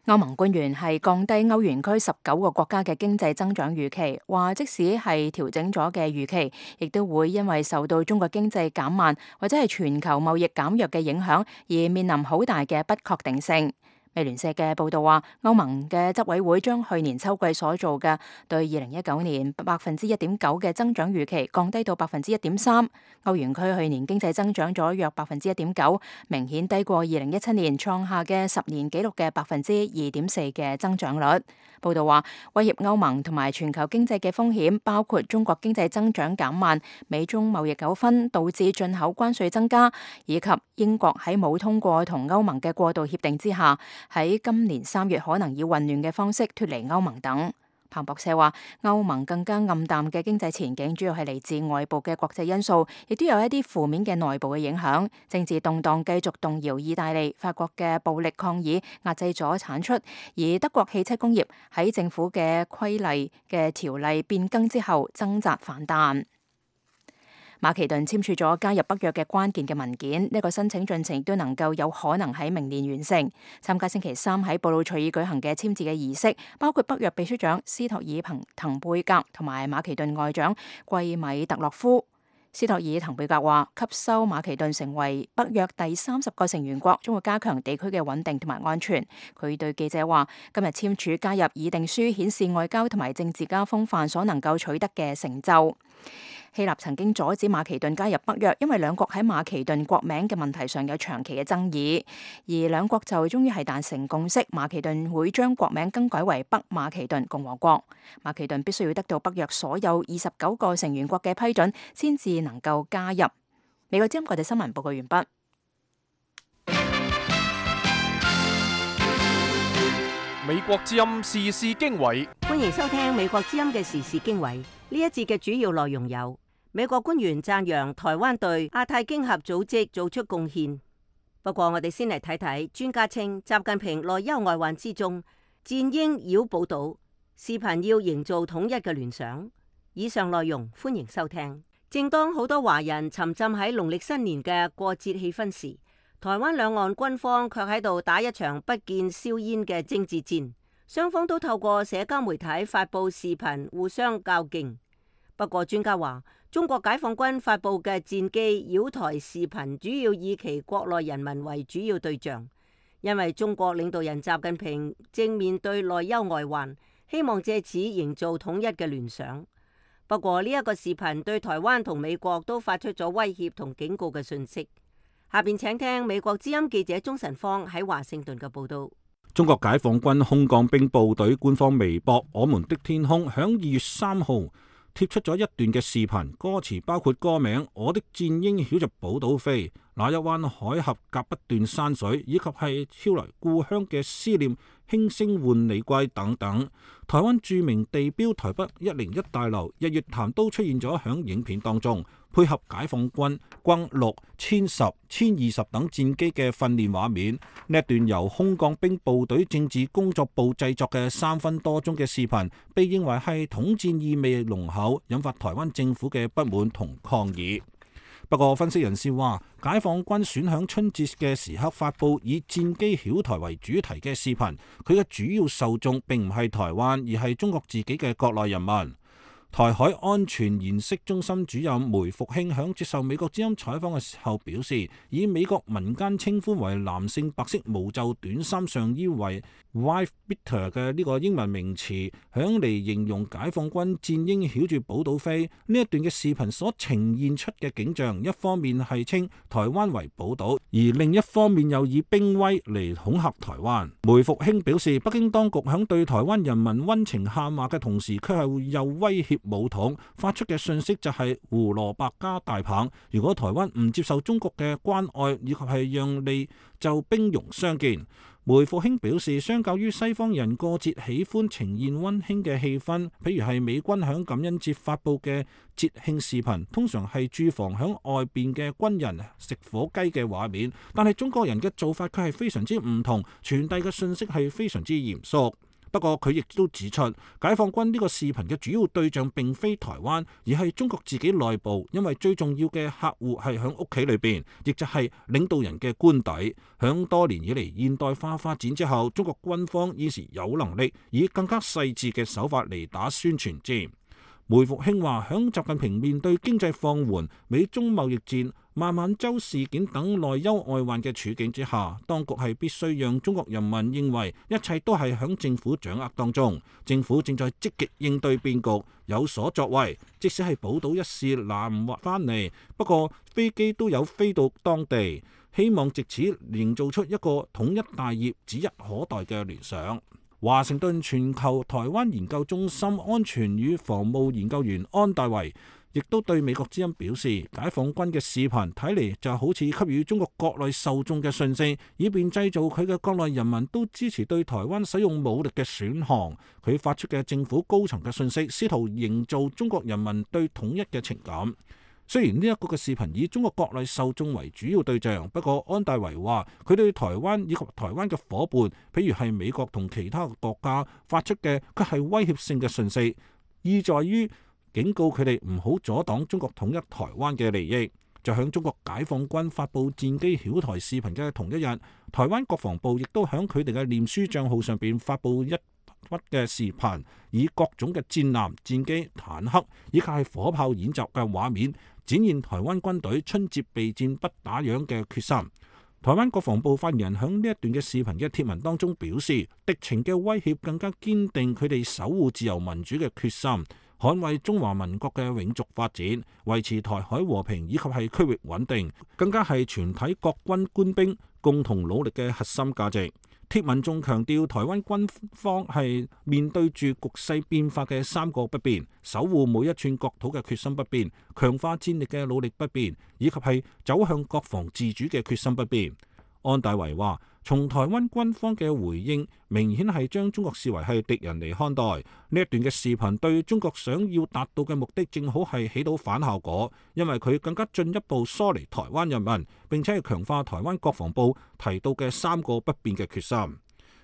歐盟官員係降低歐元區十九個國家嘅經濟增長預期，話即使係調整咗嘅預期，亦都會因為受到中國經濟減慢或者係全球貿易減弱嘅影響，而面臨好大嘅不確定性。美聯社嘅報道話，歐盟嘅執委會將去年秋季所做嘅對二零一九年百分之一點九嘅增長預期降低到百分之一點三。歐元區去年經濟增長咗約百分之一點九，明顯低過二零一七年創下嘅十年紀錄嘅百分之二點四嘅增長率。報道話，威脅歐盟同埋全球經濟嘅風險包括中國經濟增長減慢、美中貿易糾紛導致進口關稅增加，以及英國喺冇通過同歐盟嘅過渡協定之下，喺今年三月可能以混亂嘅方式脫離歐盟等。彭博社話，歐盟更加暗淡嘅經濟前景主要係嚟自外部嘅國際因素，亦都有一啲負面嘅內部嘅影響。政治動盪繼續動搖意大利、法國嘅暴力抗議壓制咗產出，而德國汽車工業喺政府嘅規例嘅條例變更之後掙扎反彈。馬其頓簽署咗加入北約嘅關鍵嘅文件，呢個申請進程亦都能夠有可能喺明年完成。參加星期三喺布魯塞爾舉行嘅簽字嘅儀式，包括北約秘書長斯托爾彭滕貝格同埋馬其頓外長季米特洛夫。斯托爾滕貝格話：吸收馬其頓成為北約第三十個成員國，將會加強地區嘅穩定同埋安全。佢對記者話：今日簽署加入議定書，顯示外交同埋政治家風範所能夠取得嘅成就。希臘曾經阻止馬其頓加入北約，因為兩國喺馬其頓國名嘅問題上有長期嘅爭議，而兩國就終於係達成共識，馬其頓會將國名更改為北馬其頓共和國。馬其頓必須要得到北約所有二十九個成員國嘅批准，先至能夠加入。美國之音國際新聞報告完畢。美國之音時事經緯，歡迎收聽美國之音嘅時事經緯。呢一節嘅主要內容有：美國官員讚揚台灣對亞太經合組織做出貢獻。不過我哋先嚟睇睇，專家稱習近平內憂外患之中，戰鷹繞寶島，視頻要營造統一嘅聯想。以上內容歡迎收聽。正當好多華人沉浸喺農曆新年嘅過節氣氛時，台灣兩岸軍方卻喺度打一場不見硝煙嘅政治戰，雙方都透過社交媒體發布視頻互相較勁。不過專家話，中國解放軍發布嘅戰機繞台視頻主要以其國內人民為主要對象，因為中國領導人習近平正面對內憂外患，希望借此營造統一嘅聯想。不過呢一個視頻對台灣同美國都發出咗威脅同警告嘅訊息。下邊請聽美國之音記者鍾晨芳喺華盛頓嘅報道。中國解放軍空降兵部隊官方微博《我們的天空》響二月三號貼出咗一段嘅視頻，歌詞包括歌名《我的戰鷹繞着寶島飛》、那一灣海峽隔不斷山水，以及係飄來故鄉嘅思念，輕聲喚你歸等等。台灣著名地標台北一零一大樓日月潭都出現咗響影片當中，配合解放軍轟六、殲十、殲二十等戰機嘅訓練畫面。呢一段由空降兵部隊政治工作部製作嘅三分多鐘嘅視頻，被認為係統戰意味濃厚，引發台灣政府嘅不滿同抗議。不過分析人士話，解放軍選響春節嘅時刻發布以戰機繞台為主題嘅視頻，佢嘅主要受眾並唔係台灣，而係中國自己嘅國內人民。台海安全研析中心主任梅復興響接受美國之音採訪嘅時候表示，以美國民間稱呼為男性白色無袖短衫上衣為 wife beater 嘅呢個英文名詞，響嚟形容解放軍戰鷹繞住寶島飛呢一段嘅視頻所呈現出嘅景象，一方面係稱台灣為寶島，而另一方面又以兵威嚟恐嚇台灣。梅復興表示，北京當局響對台灣人民溫情喊話嘅同時，卻係又威脅武統，發出嘅訊息就係胡蘿蔔加大棒。如果台灣唔接受中國嘅關愛以及係讓利，就兵戎相見。梅復興表示，相較於西方人過節喜歡呈現溫馨嘅氣氛，譬如係美軍響感恩節發布嘅節慶視頻，通常係駐防響外邊嘅軍人食火雞嘅畫面，但係中國人嘅做法卻係非常之唔同，傳遞嘅訊息係非常之嚴肅。不過佢亦都指出，解放軍呢個視頻嘅主要對象並非台灣，而係中國自己內部，因為最重要嘅客戶係響屋企裏邊，亦就係領導人嘅官邸。響多年以嚟現代化發展之後，中國軍方現時有能力以更加細緻嘅手法嚟打宣傳戰。梅復興話，響習近平面對經濟放緩、美中貿易戰、孟晚舟事件等內憂外患嘅處境之下，當局係必須讓中國人民認為一切都係響政府掌握當中，政府正在積極應對變局，有所作為。即使係寶島一事難唔翻嚟，不過飛機都有飛到當地，希望藉此營造出一個統一大業指日可待嘅聯想。華盛頓全球台灣研究中心安全與防務研究員安大維亦都對美國之音表示，解放軍嘅視頻睇嚟就好似給予中國國內受眾嘅訊息，以便製造佢嘅國內人民都支持對台灣使用武力嘅選項。佢發出嘅政府高層嘅訊息，試圖營造中國人民對統一嘅情感。雖然呢一個嘅視頻以中國國內受眾為主要對象，不過安大維話佢對台灣以及台灣嘅夥伴，譬如係美國同其他國家發出嘅，佢係威脅性嘅訊息，意在於警告佢哋唔好阻擋中國統一台灣嘅利益。就向中國解放軍發布戰機曉台視頻嘅同一日，台灣國防部亦都響佢哋嘅臉書賬號上邊發布一筆嘅視頻，以各種嘅戰艦、戰機、坦克以及係火炮演習嘅畫面，展現台灣軍隊春節備戰不打烊嘅決心。台灣國防部發言人響呢一段嘅視頻嘅貼文當中表示，敵情嘅威脅更加堅定佢哋守護自由民主嘅決心，捍衛中華民國嘅永續發展，維持台海和平以及係區域穩定，更加係全體國軍官兵共同努力嘅核心價值。貼文仲強調，台灣軍方係面對住局勢變化嘅三個不變，守護每一寸國土嘅決心不變，強化戰力嘅努力不變，以及係走向國防自主嘅決心不變。安大維話，從台灣軍方嘅回應，明顯係將中國視為係敵人嚟看待。呢一段嘅視頻對中國想要達到嘅目的，正好係起到反效果，因為佢更加進一步疏離台灣人民，並且係強化台灣國防部提到嘅三個不變嘅決心。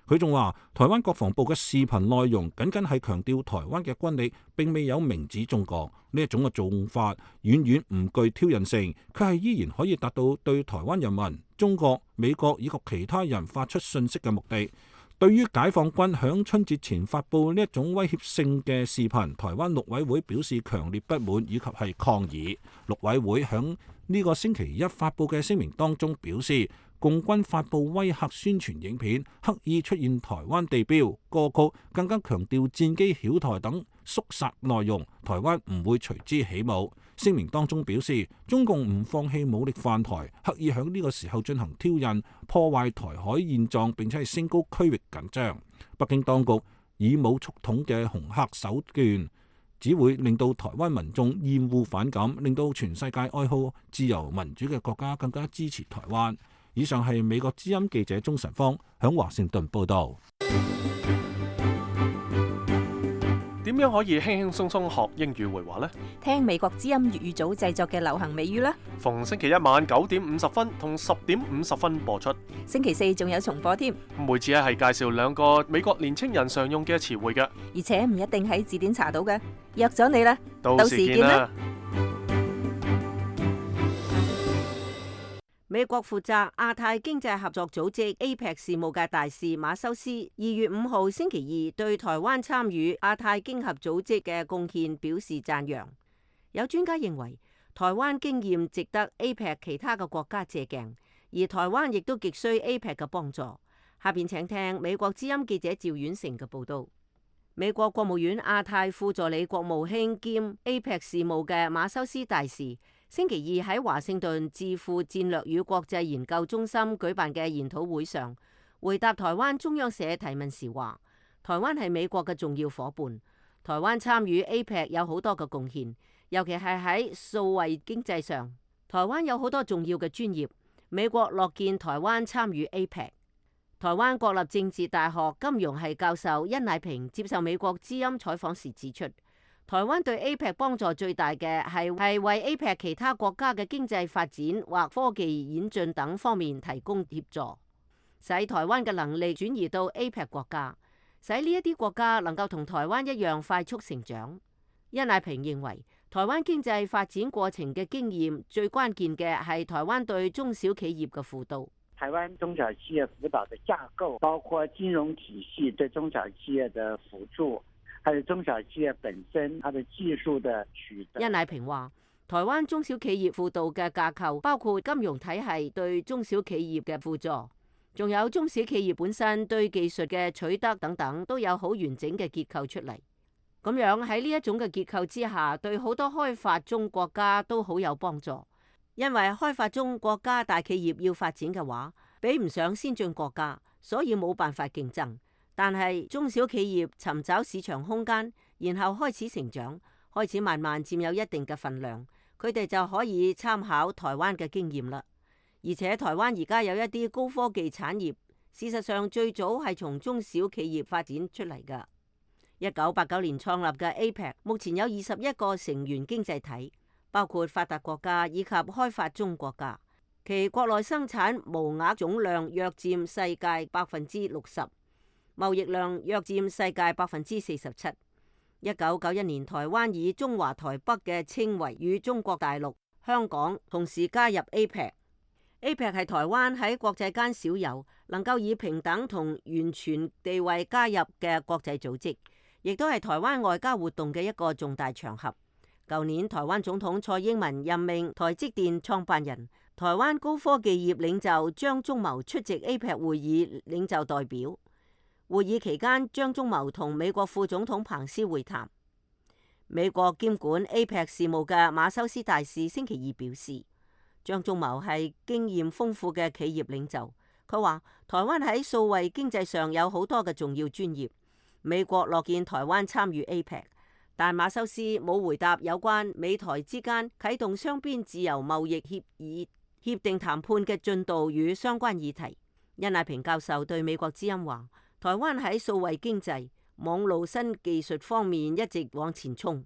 佢仲話，台灣國防部嘅視頻內容僅僅係強調台灣嘅軍力，並未有明指中國。呢一種嘅做法遠遠唔具挑釁性，佢係依然可以達到對台灣人民、中國、美國以及其他人發出訊息嘅目的。對於解放軍響春節前發布呢一種威脅性嘅視頻，台灣陸委會表示強烈不滿以及係抗議。陸委會響呢個星期一發布嘅聲明當中表示，共軍發布威嚇宣傳影片，刻意出現台灣地標、歌曲，更加強調戰機曉台等肅殺內容，台灣唔會隨之起舞。聲明當中表示，中共唔放棄武力犯台，刻意響呢個時候進行挑釁，破壞台海現狀，並且係升高區域緊張。北京當局以武促統嘅恐嚇手段，只會令到台灣民眾厭惡反感，令到全世界愛好自由民主嘅國家更加支持台灣。以上係美國之音記者鍾晨芳響華盛頓報道。點樣可以輕輕鬆鬆學英語會話呢？聽美國之音粵語組製作嘅流行美語啦。逢星期一晚九點五十分同十點五十分播出。星期四仲有重播添。每次係介紹兩個美國年青人常用嘅詞彙嘅，而且唔一定喺字典查到嘅。約咗你啦，到時見啦。美國負責亞太經濟合作組織 A P E C 事務嘅大使馬修斯，二月五號星期二對台灣參與亞太經合組織嘅貢獻表示讚揚。有專家認為，台灣經驗值得 A P E C 其他嘅國家借鏡，而台灣亦都極需 A P E C 嘅幫助。下邊請聽美國之音記者趙婉成嘅報道。美國國務院亞太副助理國務卿兼 A P E C 事務嘅馬修斯大使，星期二喺華盛頓智庫戰略與國際研究中心舉辦嘅研討會上，回答台灣中央社提問時話：台灣係美國嘅重要夥伴，台灣參與 A P E C 有好多嘅貢獻，尤其係喺數位經濟上，台灣有好多重要嘅專業，美國樂見台灣參與 A P E C。台灣國立政治大學金融系教授殷乃平接受美國之音採訪時指出，台灣對 A P E C 幫助最大嘅係係為 A P E C 其他國家嘅經濟發展或科技演進等方面提供協助，使台灣嘅能力轉移到 A P E C 國家，使呢一啲國家能夠同台灣一樣快速成長。殷乃平認為，台灣經濟發展過程嘅經驗最關鍵嘅係台灣對中小企業嘅輔導。台灣中小企業輔導的架構，包括金融體系對中小企業的輔助，還有中小企業本身它的技術的取得。殷乃平話，台灣中小企業輔導嘅架構包括金融體系對中小企業嘅輔助，仲有中小企業本身對技術嘅取得等等，都有好完整嘅結構出嚟。咁樣喺呢一種嘅結構之下，對好多開發中國家都好有幫助。因為開發中國家大企業要發展嘅話，比唔上先進國家，所以冇辦法競爭。但係中小企業尋找市場空間，然後開始成長，開始慢慢佔有一定嘅份量，佢哋就可以參考台灣嘅經驗啦。而且台灣而家有一啲高科技產業，事實上最早係從中小企業發展出嚟㗎。一九八九年創立嘅 A P E C 目前有二十一個成員經濟體，包括發達國家以及開發中國家，其國內生產毛額總量約佔世界百分之六十，貿易量約佔世界百分之四十七。一九九一年，台灣以中華台北嘅稱謂與中國大陸、香港同時加入 A P E C。A P E C 係台灣喺國際間少有能夠以平等同完全地位加入嘅國際組織，亦都係台灣外交活動嘅一個重大場合。舊年台灣總統蔡英文任命台積電創辦人、台灣高科技業領袖張忠謀出席 A P E C 會議領袖代表。會議期間，張忠謀同美國副總統彭斯會談。美國兼管 A P E C 事務嘅馬修斯大使星期二表示，張忠謀係經驗豐富嘅企業領袖。佢話台灣喺數位經濟上有好多嘅重要專業，美國樂見台灣參與 A P E C， 但馬修斯冇回答有關美台之間啟動雙邊自由貿易協議協定談判嘅進度與相關議題。殷乃平教授對美國之音話，台灣喺數位經濟、網路新技術方面一直往前衝，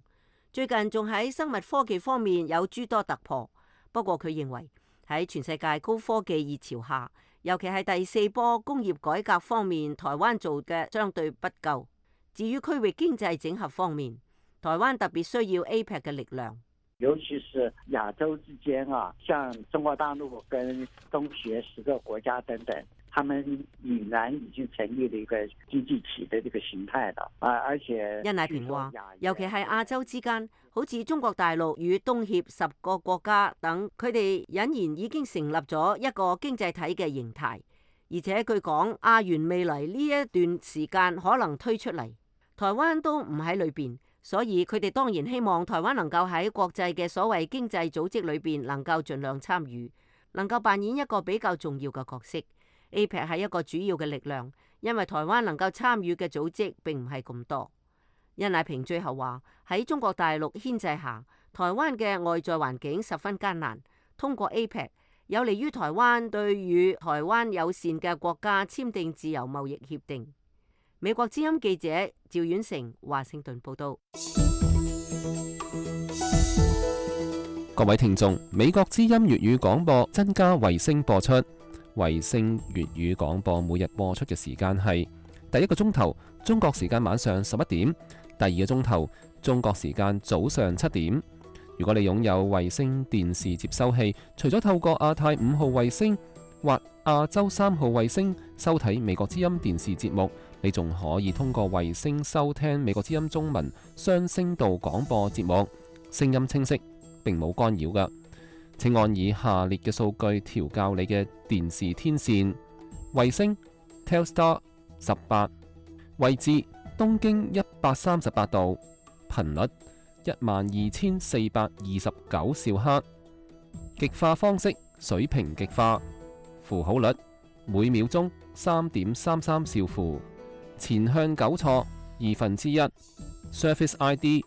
最近仲喺生物科技方面有諸多突破。不過佢認為喺全世界高科技熱潮下，尤其係第四波工業改革方面，台灣做嘅相對不夠。至於區域經濟整合方面，台灣特別需要 A P E C 嘅力量。尤其是亞洲之間啊，像中國大陸跟東協十個國家等等，他們儼然已經成立了一個經濟體的這個形態了啊！而且殷乃平話，尤其係亞洲之間，好似中國大陸與東協十個國家等，佢哋隱然已經成立咗一個經濟體嘅形態，而且據講亞元未來呢一段時間可能推出嚟，台灣都唔喺裏邊。所以佢哋當然希望台灣能夠喺國際嘅所謂經濟組織裏邊能夠盡量參與，能夠扮演一個比較重要嘅角色。A P E C 係一個主要嘅力量，因為台灣能夠參與嘅組織並唔係咁多。殷乃平最後話，喺中國大陸牽制下，台灣嘅外在環境十分艱難。通過 A P E C 有利於台灣對與台灣友善嘅國家簽訂自由貿易協定。美國之音記者趙婉成華盛頓報道。各位聽眾，美國之音粵語廣播增加衛星播出。衛星粵語廣播每日播出嘅時間係第一個鐘頭中國時間晚上十一點，第二個鐘頭中國時間早上七點。如果你擁有衛星電視接收器，除咗透過亞太五號衛星或亞洲三號衛星收睇美國之音電視節目，你仲可以通過衛星收聽美國之音中文雙聲道廣播節目，聲音清晰，並冇干擾㗎。請按以下列嘅數據調校你嘅電視天線：衛星 Telstar 十八，位置東經一百三十八度，頻率一萬二千四百二十九兆赫，極化方式水平極化，符號率每秒鐘三點三三兆符，前向糾錯二分之一 ，Service I D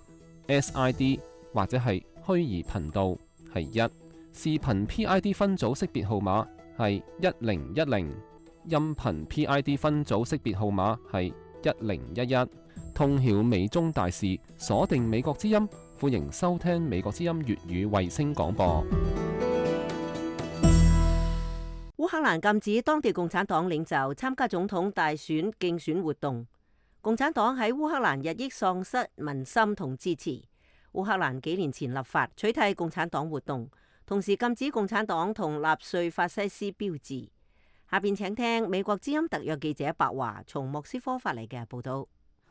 S I D 或者係虛擬頻道係一，視頻 P I D 分組識別號碼係一零一零，音頻 P I D 分組識別號碼係一零一一。通曉美中大事，鎖定美國之音，歡迎收聽美國之音粵語衛星廣播。烏克蘭禁止當地共產黨領袖參加總統大選競選活動。共產黨喺烏克蘭日益喪失民心同支持。烏克蘭幾年前立法取締共產黨活動，同時禁止共產黨同納粹法西斯標誌。下邊請聽美國之音特約記者白華從莫斯科發嚟嘅報道。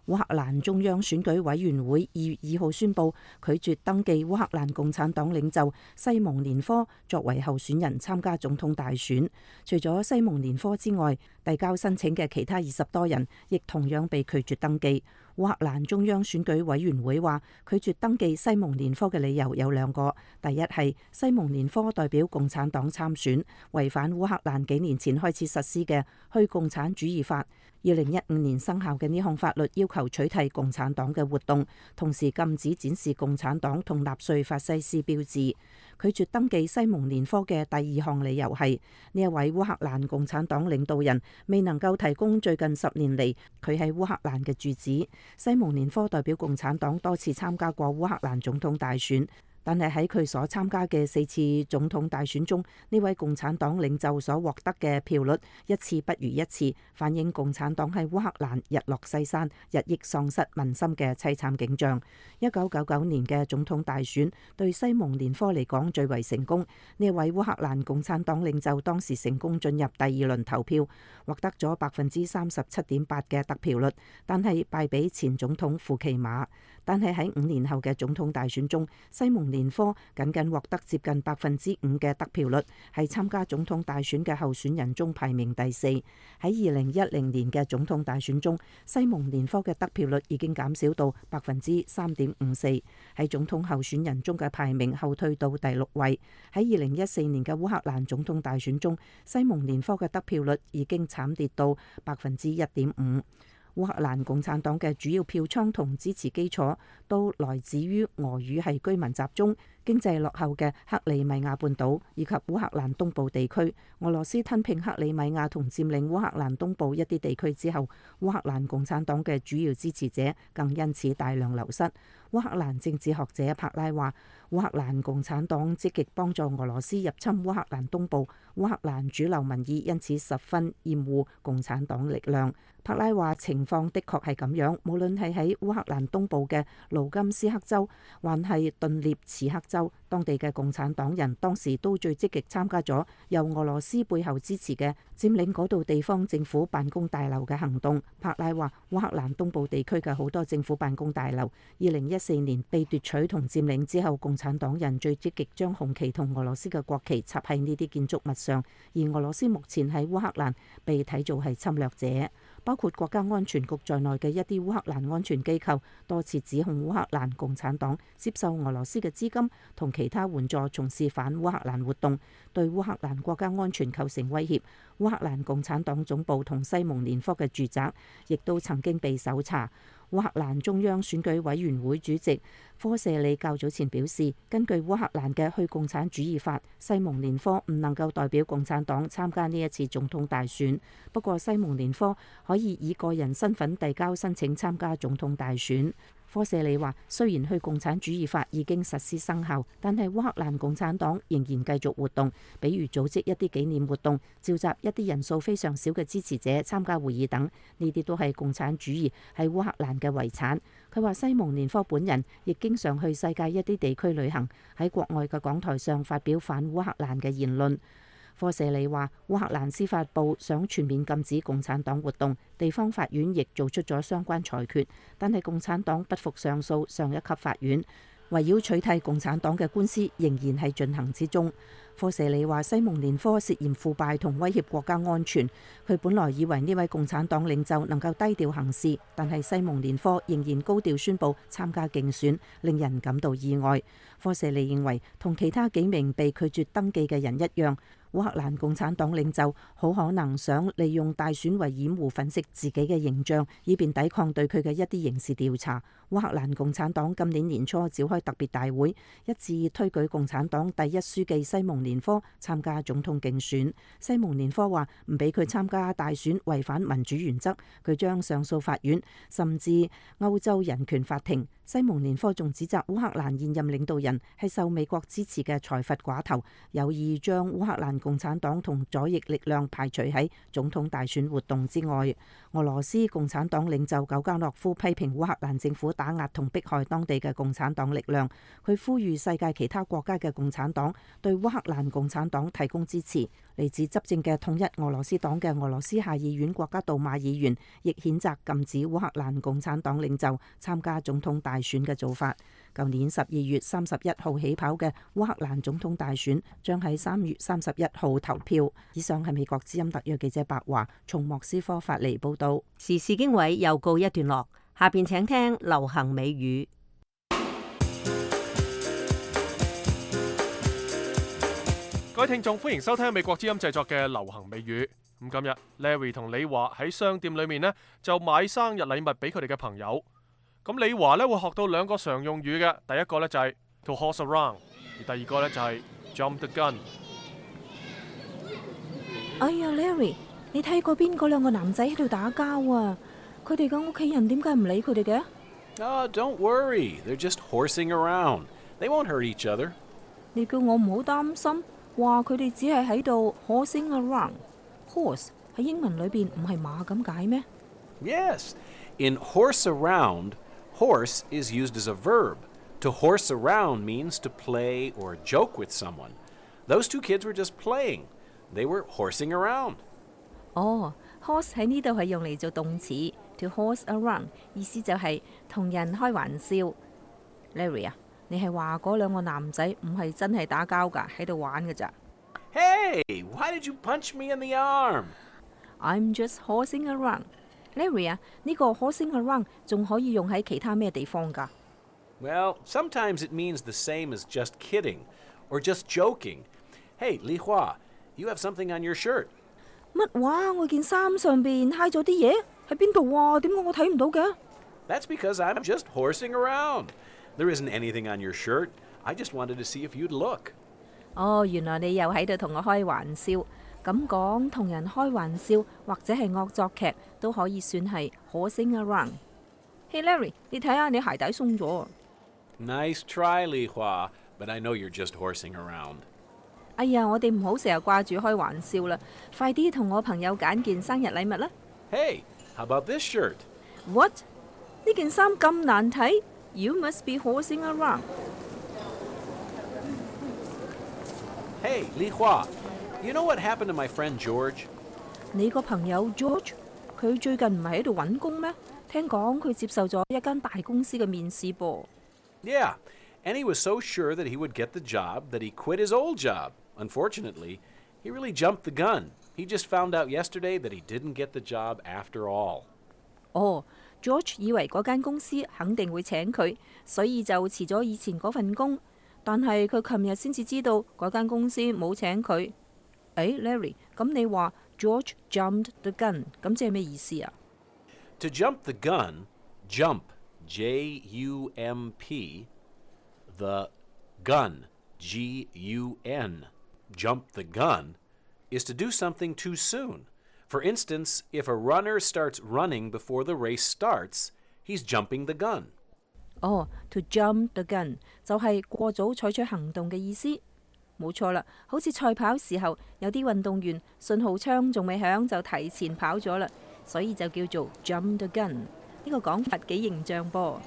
烏克蘭中央選舉委員會二月二號宣布拒絕登記烏克蘭共產黨領袖西蒙年科作為候選人參加總統大選。除咗西蒙年科之外，遞交申請嘅其他二十多人亦同樣被拒絕登記。烏克蘭中央選舉委員會話，拒絕登記西蒙年科嘅理由有兩個。第一係西蒙年科代表共產黨參選，違反烏克蘭幾年前開始實施嘅去共產主義法。二零一五年生效嘅呢項法律要求取締共產黨嘅活動，同時禁止展示共產黨同納粹法西斯標誌。拒絕登記西蒙年科嘅第二項理由係呢一位烏克蘭共產黨領導人未能夠提供最近十年嚟佢喺烏克蘭嘅住址。西蒙年科代表共產黨多次參加過烏克蘭總統大選，但係喺佢所參加嘅四次總統大選中，呢位共產黨領袖所獲得嘅票率一次不如一次，反映共產黨喺烏克蘭日落西山、日益喪失民心嘅凄慘景象。一九九九年嘅總統大選對西蒙連科嚟講最為成功。呢位烏克蘭共產黨領袖當時成功進入第二輪投票，獲得咗百分之三十七點八嘅得票率，但係敗俾前總統庫奇馬。但係喺五年後嘅總統大選中，西蒙連科僅僅獲得接近百分之五嘅得票率，係參加總統大選嘅候選人中排名第四。喺二零一零年嘅總統大選中，西蒙連科嘅得票率已經減少到百分之三點五四，喺總統候選人中嘅排名後退到第六位。喺二零一四年嘅烏克蘭總統大選中，西蒙連科嘅得票率已經慘跌到百分之一點五。烏克蘭共產黨嘅主要票倉同支持基礎都來自於俄語系居民集中、經濟落後嘅克里米亞半島以及烏克蘭東部地區。俄羅斯吞併克里米亞同佔領烏克蘭東部一啲地區之後，烏克蘭共產黨嘅主要支持者更因此大量流失。烏克蘭政治學者帕拉話，烏克蘭共產黨積極幫助俄羅斯入侵烏克蘭東部，烏克蘭主流民意因此十分厭惡共產黨力量。帕拉話情況的確係咁樣，無論係喺烏克蘭東部嘅盧甘斯克州，還係頓涅茨克州，當地嘅共產黨人當時都最積極參加咗由俄羅斯背後支持嘅佔領嗰度地方政府辦公大樓嘅行動。帕拉話，烏克蘭東部地區嘅好多政府辦公大樓，二零一四年被奪取同佔領之後，共產黨人最積極將紅旗同俄羅斯嘅國旗插喺呢啲建築物上，而俄羅斯目前喺烏克蘭被睇做係侵略者。包括國家安全局在內嘅一啲烏克蘭安全機構多次指控烏克蘭共產黨接受俄羅斯嘅資金同其他援助，從事反烏克蘭活動，對烏克蘭國家安全構成威脅。烏克蘭共產黨總部同西蒙連科嘅住宅亦都曾經被搜查。烏克蘭中央選舉委員會主席科舍里較早前表示，根據烏克蘭嘅去共產主義法，西蒙連科唔能夠代表共產黨參加呢一次總統大選。不過西蒙連科可以以個人身份遞交申請參加總統大選。科舍里話，雖然去共產主義法已經實施生效，但係烏克蘭共產黨仍然繼續活動，比如組織一啲紀念活動，召集一啲人數非常少嘅支持者參加會議等，呢啲都係共產主義喺烏克蘭嘅遺產。佢話西蒙連科本人亦經常去世界一啲地區旅行，喺國外嘅講台上發表反烏克蘭嘅言論。科舍里話，烏克蘭司法部想全面禁止共產黨活動，地方法院亦做出咗相關裁決，但係共產黨不服上訴上一級法院，圍繞取締共產黨嘅官司仍然係進行之中。科舍里話，西蒙連科涉嫌腐敗同威脅國家安全，佢本來以為呢位共產黨領袖能夠低調行事，但係西蒙連科仍然高調宣布參加競選，令人感到意外。科舍里認為，同其他幾名被拒絕登記嘅人一樣，烏克蘭共產黨領袖好可能想利用大選為掩護粉飾自己嘅形象，以便抵抗對佢嘅一啲刑事調查。烏克蘭共產黨今年年初召開特別大會，一致推舉共產黨第一書記西蒙連科參加總統競選。西蒙連科話唔俾佢參加大選違反民主原則，佢將上訴法院甚至歐洲人權法庭。西蒙連科仲指責烏克蘭現任領導人係受美國支持嘅財閥寡頭，有意將烏克蘭共產黨同左翼力量排除喺總統大選活動之外。俄羅斯共產黨領袖久加諾夫批評烏克蘭政府打壓同迫害當地嘅共產黨力量，佢呼籲世界其他國家嘅共產黨對烏克蘭共產黨提供支持。嚟自執政嘅統一俄羅斯黨嘅俄羅斯下議院國家杜馬議員亦譴責禁止烏克蘭共產黨領袖參加總統大選嘅做法。舊年十二月三十一號起跑嘅烏克蘭總統大選將喺三月三十一號投票。以上係美國之音特約記者白華從莫斯科發嚟報道。時事經緯又告一段落，下邊請聽流行美語。各位聽眾，歡迎收聽美國之音製作嘅流行美語。咁今日 Larry 同李華喺商店裏面呢，就買生日禮物俾佢哋嘅朋友。咁李華呢會學到兩個常用語嘅，第一個呢就係 to horse around， 而第二個呢就係 jump the gun。哎呀 Larry， 你睇過邊嗰兩個男仔喺度打交啊？佢哋嘅屋企人點解唔理佢哋嘅？ Oh, don't worry, they're just horsing around. They won't hurt each other. 你叫我唔好擔心，話佢哋只係喺度 horsing around。horse 喺英文裏邊唔係馬咁解咩？ Yes. In horse around, horse is used as a verb. To horse around means to play or joke with someone. Those two kids were just playing. They were horsing around. 哦 horse 喺呢度係用嚟做動詞 to horse around， 意思就係同人開玩笑。Larry 啊，你係話嗰兩個男仔唔係真係打交㗎，喺度玩㗎咋？ Hey, why did you punch me in the arm? I'm just horsing around。Larry 啊，呢個 horsing around 仲可以用喺其他咩地方㗎？ Well, sometimes it means the same as just kidding or just joking. Hey, Li Hua, you have something on your shirt. 乜話？我件衫上邊揩咗啲嘢，喺邊度啊？點解我睇唔到嘅？ That's because I'm just horsing around. There isn't anything on your shirt. I just wanted to see if you'd look. 哦，原來你又喺度同我開玩笑。咁講，同人開玩笑或者係惡作劇都可以算係 horsing around。Hey Larry， 你睇下你鞋帶鬆咗。 Nice try, Li Hua, but I know you're just horsing around. 哎呀，我哋唔好成日掛住開玩笑啦，快啲同我朋友揀件生日禮物啦。 Hey, how about this shirt? What？ 呢件衫咁難睇 ？You must be horsing around。 Hey, Li Hua, you know what happened to my friend George? 你個朋友 George， 佢最近唔係喺度揾工咩？聽講佢接受咗一間大公司嘅面試噃。 Yeah, and he was so sure that he would get the job that he quit his old job. Unfortunately, he really jumped the gun. He just found out yesterday that he didn't get the job after all. 哦 ，George 以為嗰間公司肯定會請佢，所以就辭咗以前嗰份工。但係佢琴日先至知道嗰間公司冇請佢。誒 ，Larry， 咁你話 George jumped the gun， 咁即係咩意思啊？ To jump the gun, jump, J U M P, the gun, G U N. Jump the gun is to do something too soon. For instance, if a runner starts running before the race starts, he's jumping the gun. 哦 ，to jump the gun 就係過早採取行動嘅意思。冇錯啦，好似賽跑時候，有啲運動員信號槍仲未響就提前跑咗啦，所以就叫做 jump the gun。呢個講法幾形象噃。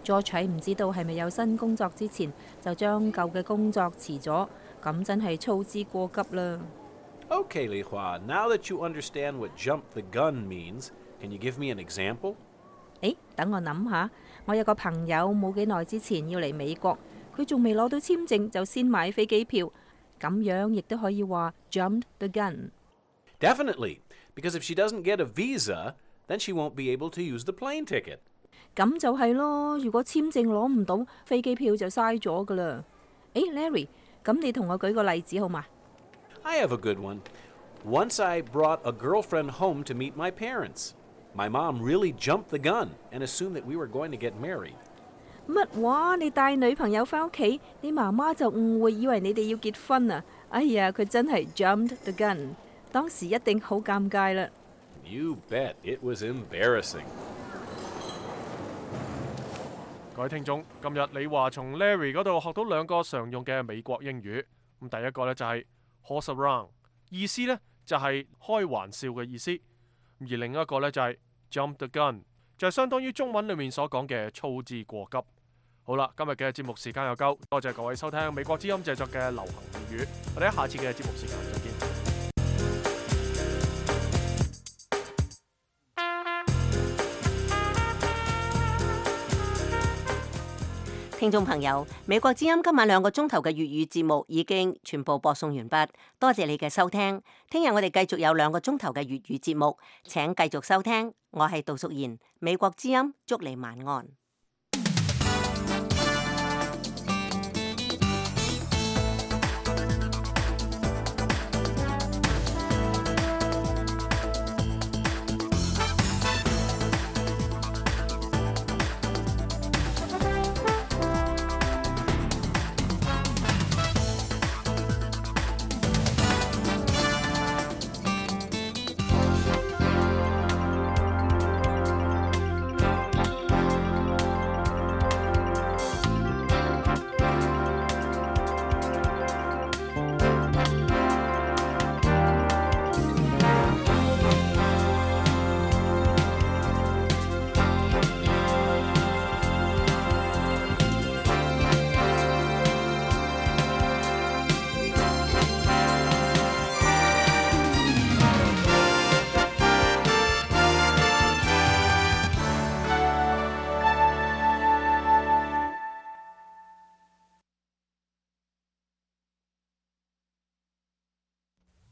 George喺唔知道係咪有新工作之前，就將舊嘅工作辭咗，咁真係操之過急啦。Okay, Li Hua, now that you understand what jump the gun means, can you give me an example? 誒，等我諗下，我有個朋友冇幾耐之前要嚟美國，佢仲未攞到簽證就先買飛機票，咁樣亦都可以話 jumped the gun。 Definitely, because if she doesn't get a visa, then she won't be able to use the plane ticket. 咁就係咯，如果簽證攞唔到，飛機票就嘥咗噶啦。誒 ，Larry， 咁你同我舉個例子好嘛？ I have a good one. Once I brought a girlfriend home to meet my parents. My mom really jumped the gun and assumed that we were going to get married. 乜話？你帶女朋友返屋企，你媽媽就誤會以為你哋要結婚啊！哎呀，佢真係 jumped the gun， 當時一定好尷尬啦。You bet it was embarrassing. 各位聽眾，今日你話從 Larry 嗰度學到兩個常用嘅美國英語。咁第一個呢就係 horse around， 意思呢就係開玩笑嘅意思。而另一個呢就係 jump the gun， 就係相當於中文裏面所講嘅操之過急。好啦，今日嘅節目時間又夠，多謝各位收聽美國之音製作嘅流行粵語，我哋喺下次嘅節目時間再見。聽眾朋友，美國之音今晚兩個鐘頭嘅粵語節目已經全部播送完畢，多謝你嘅收聽。聽日我哋繼續有兩個鐘頭嘅粵語節目，請繼續收聽。我係杜淑賢，美國之音，祝你晚安。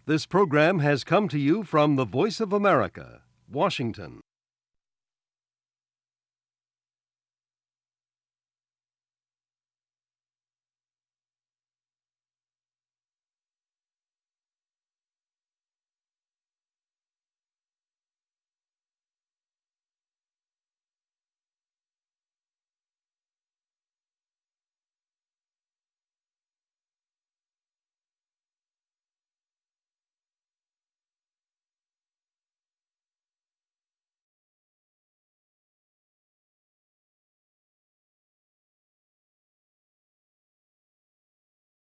This program has come to you from the Voice of America, Washington.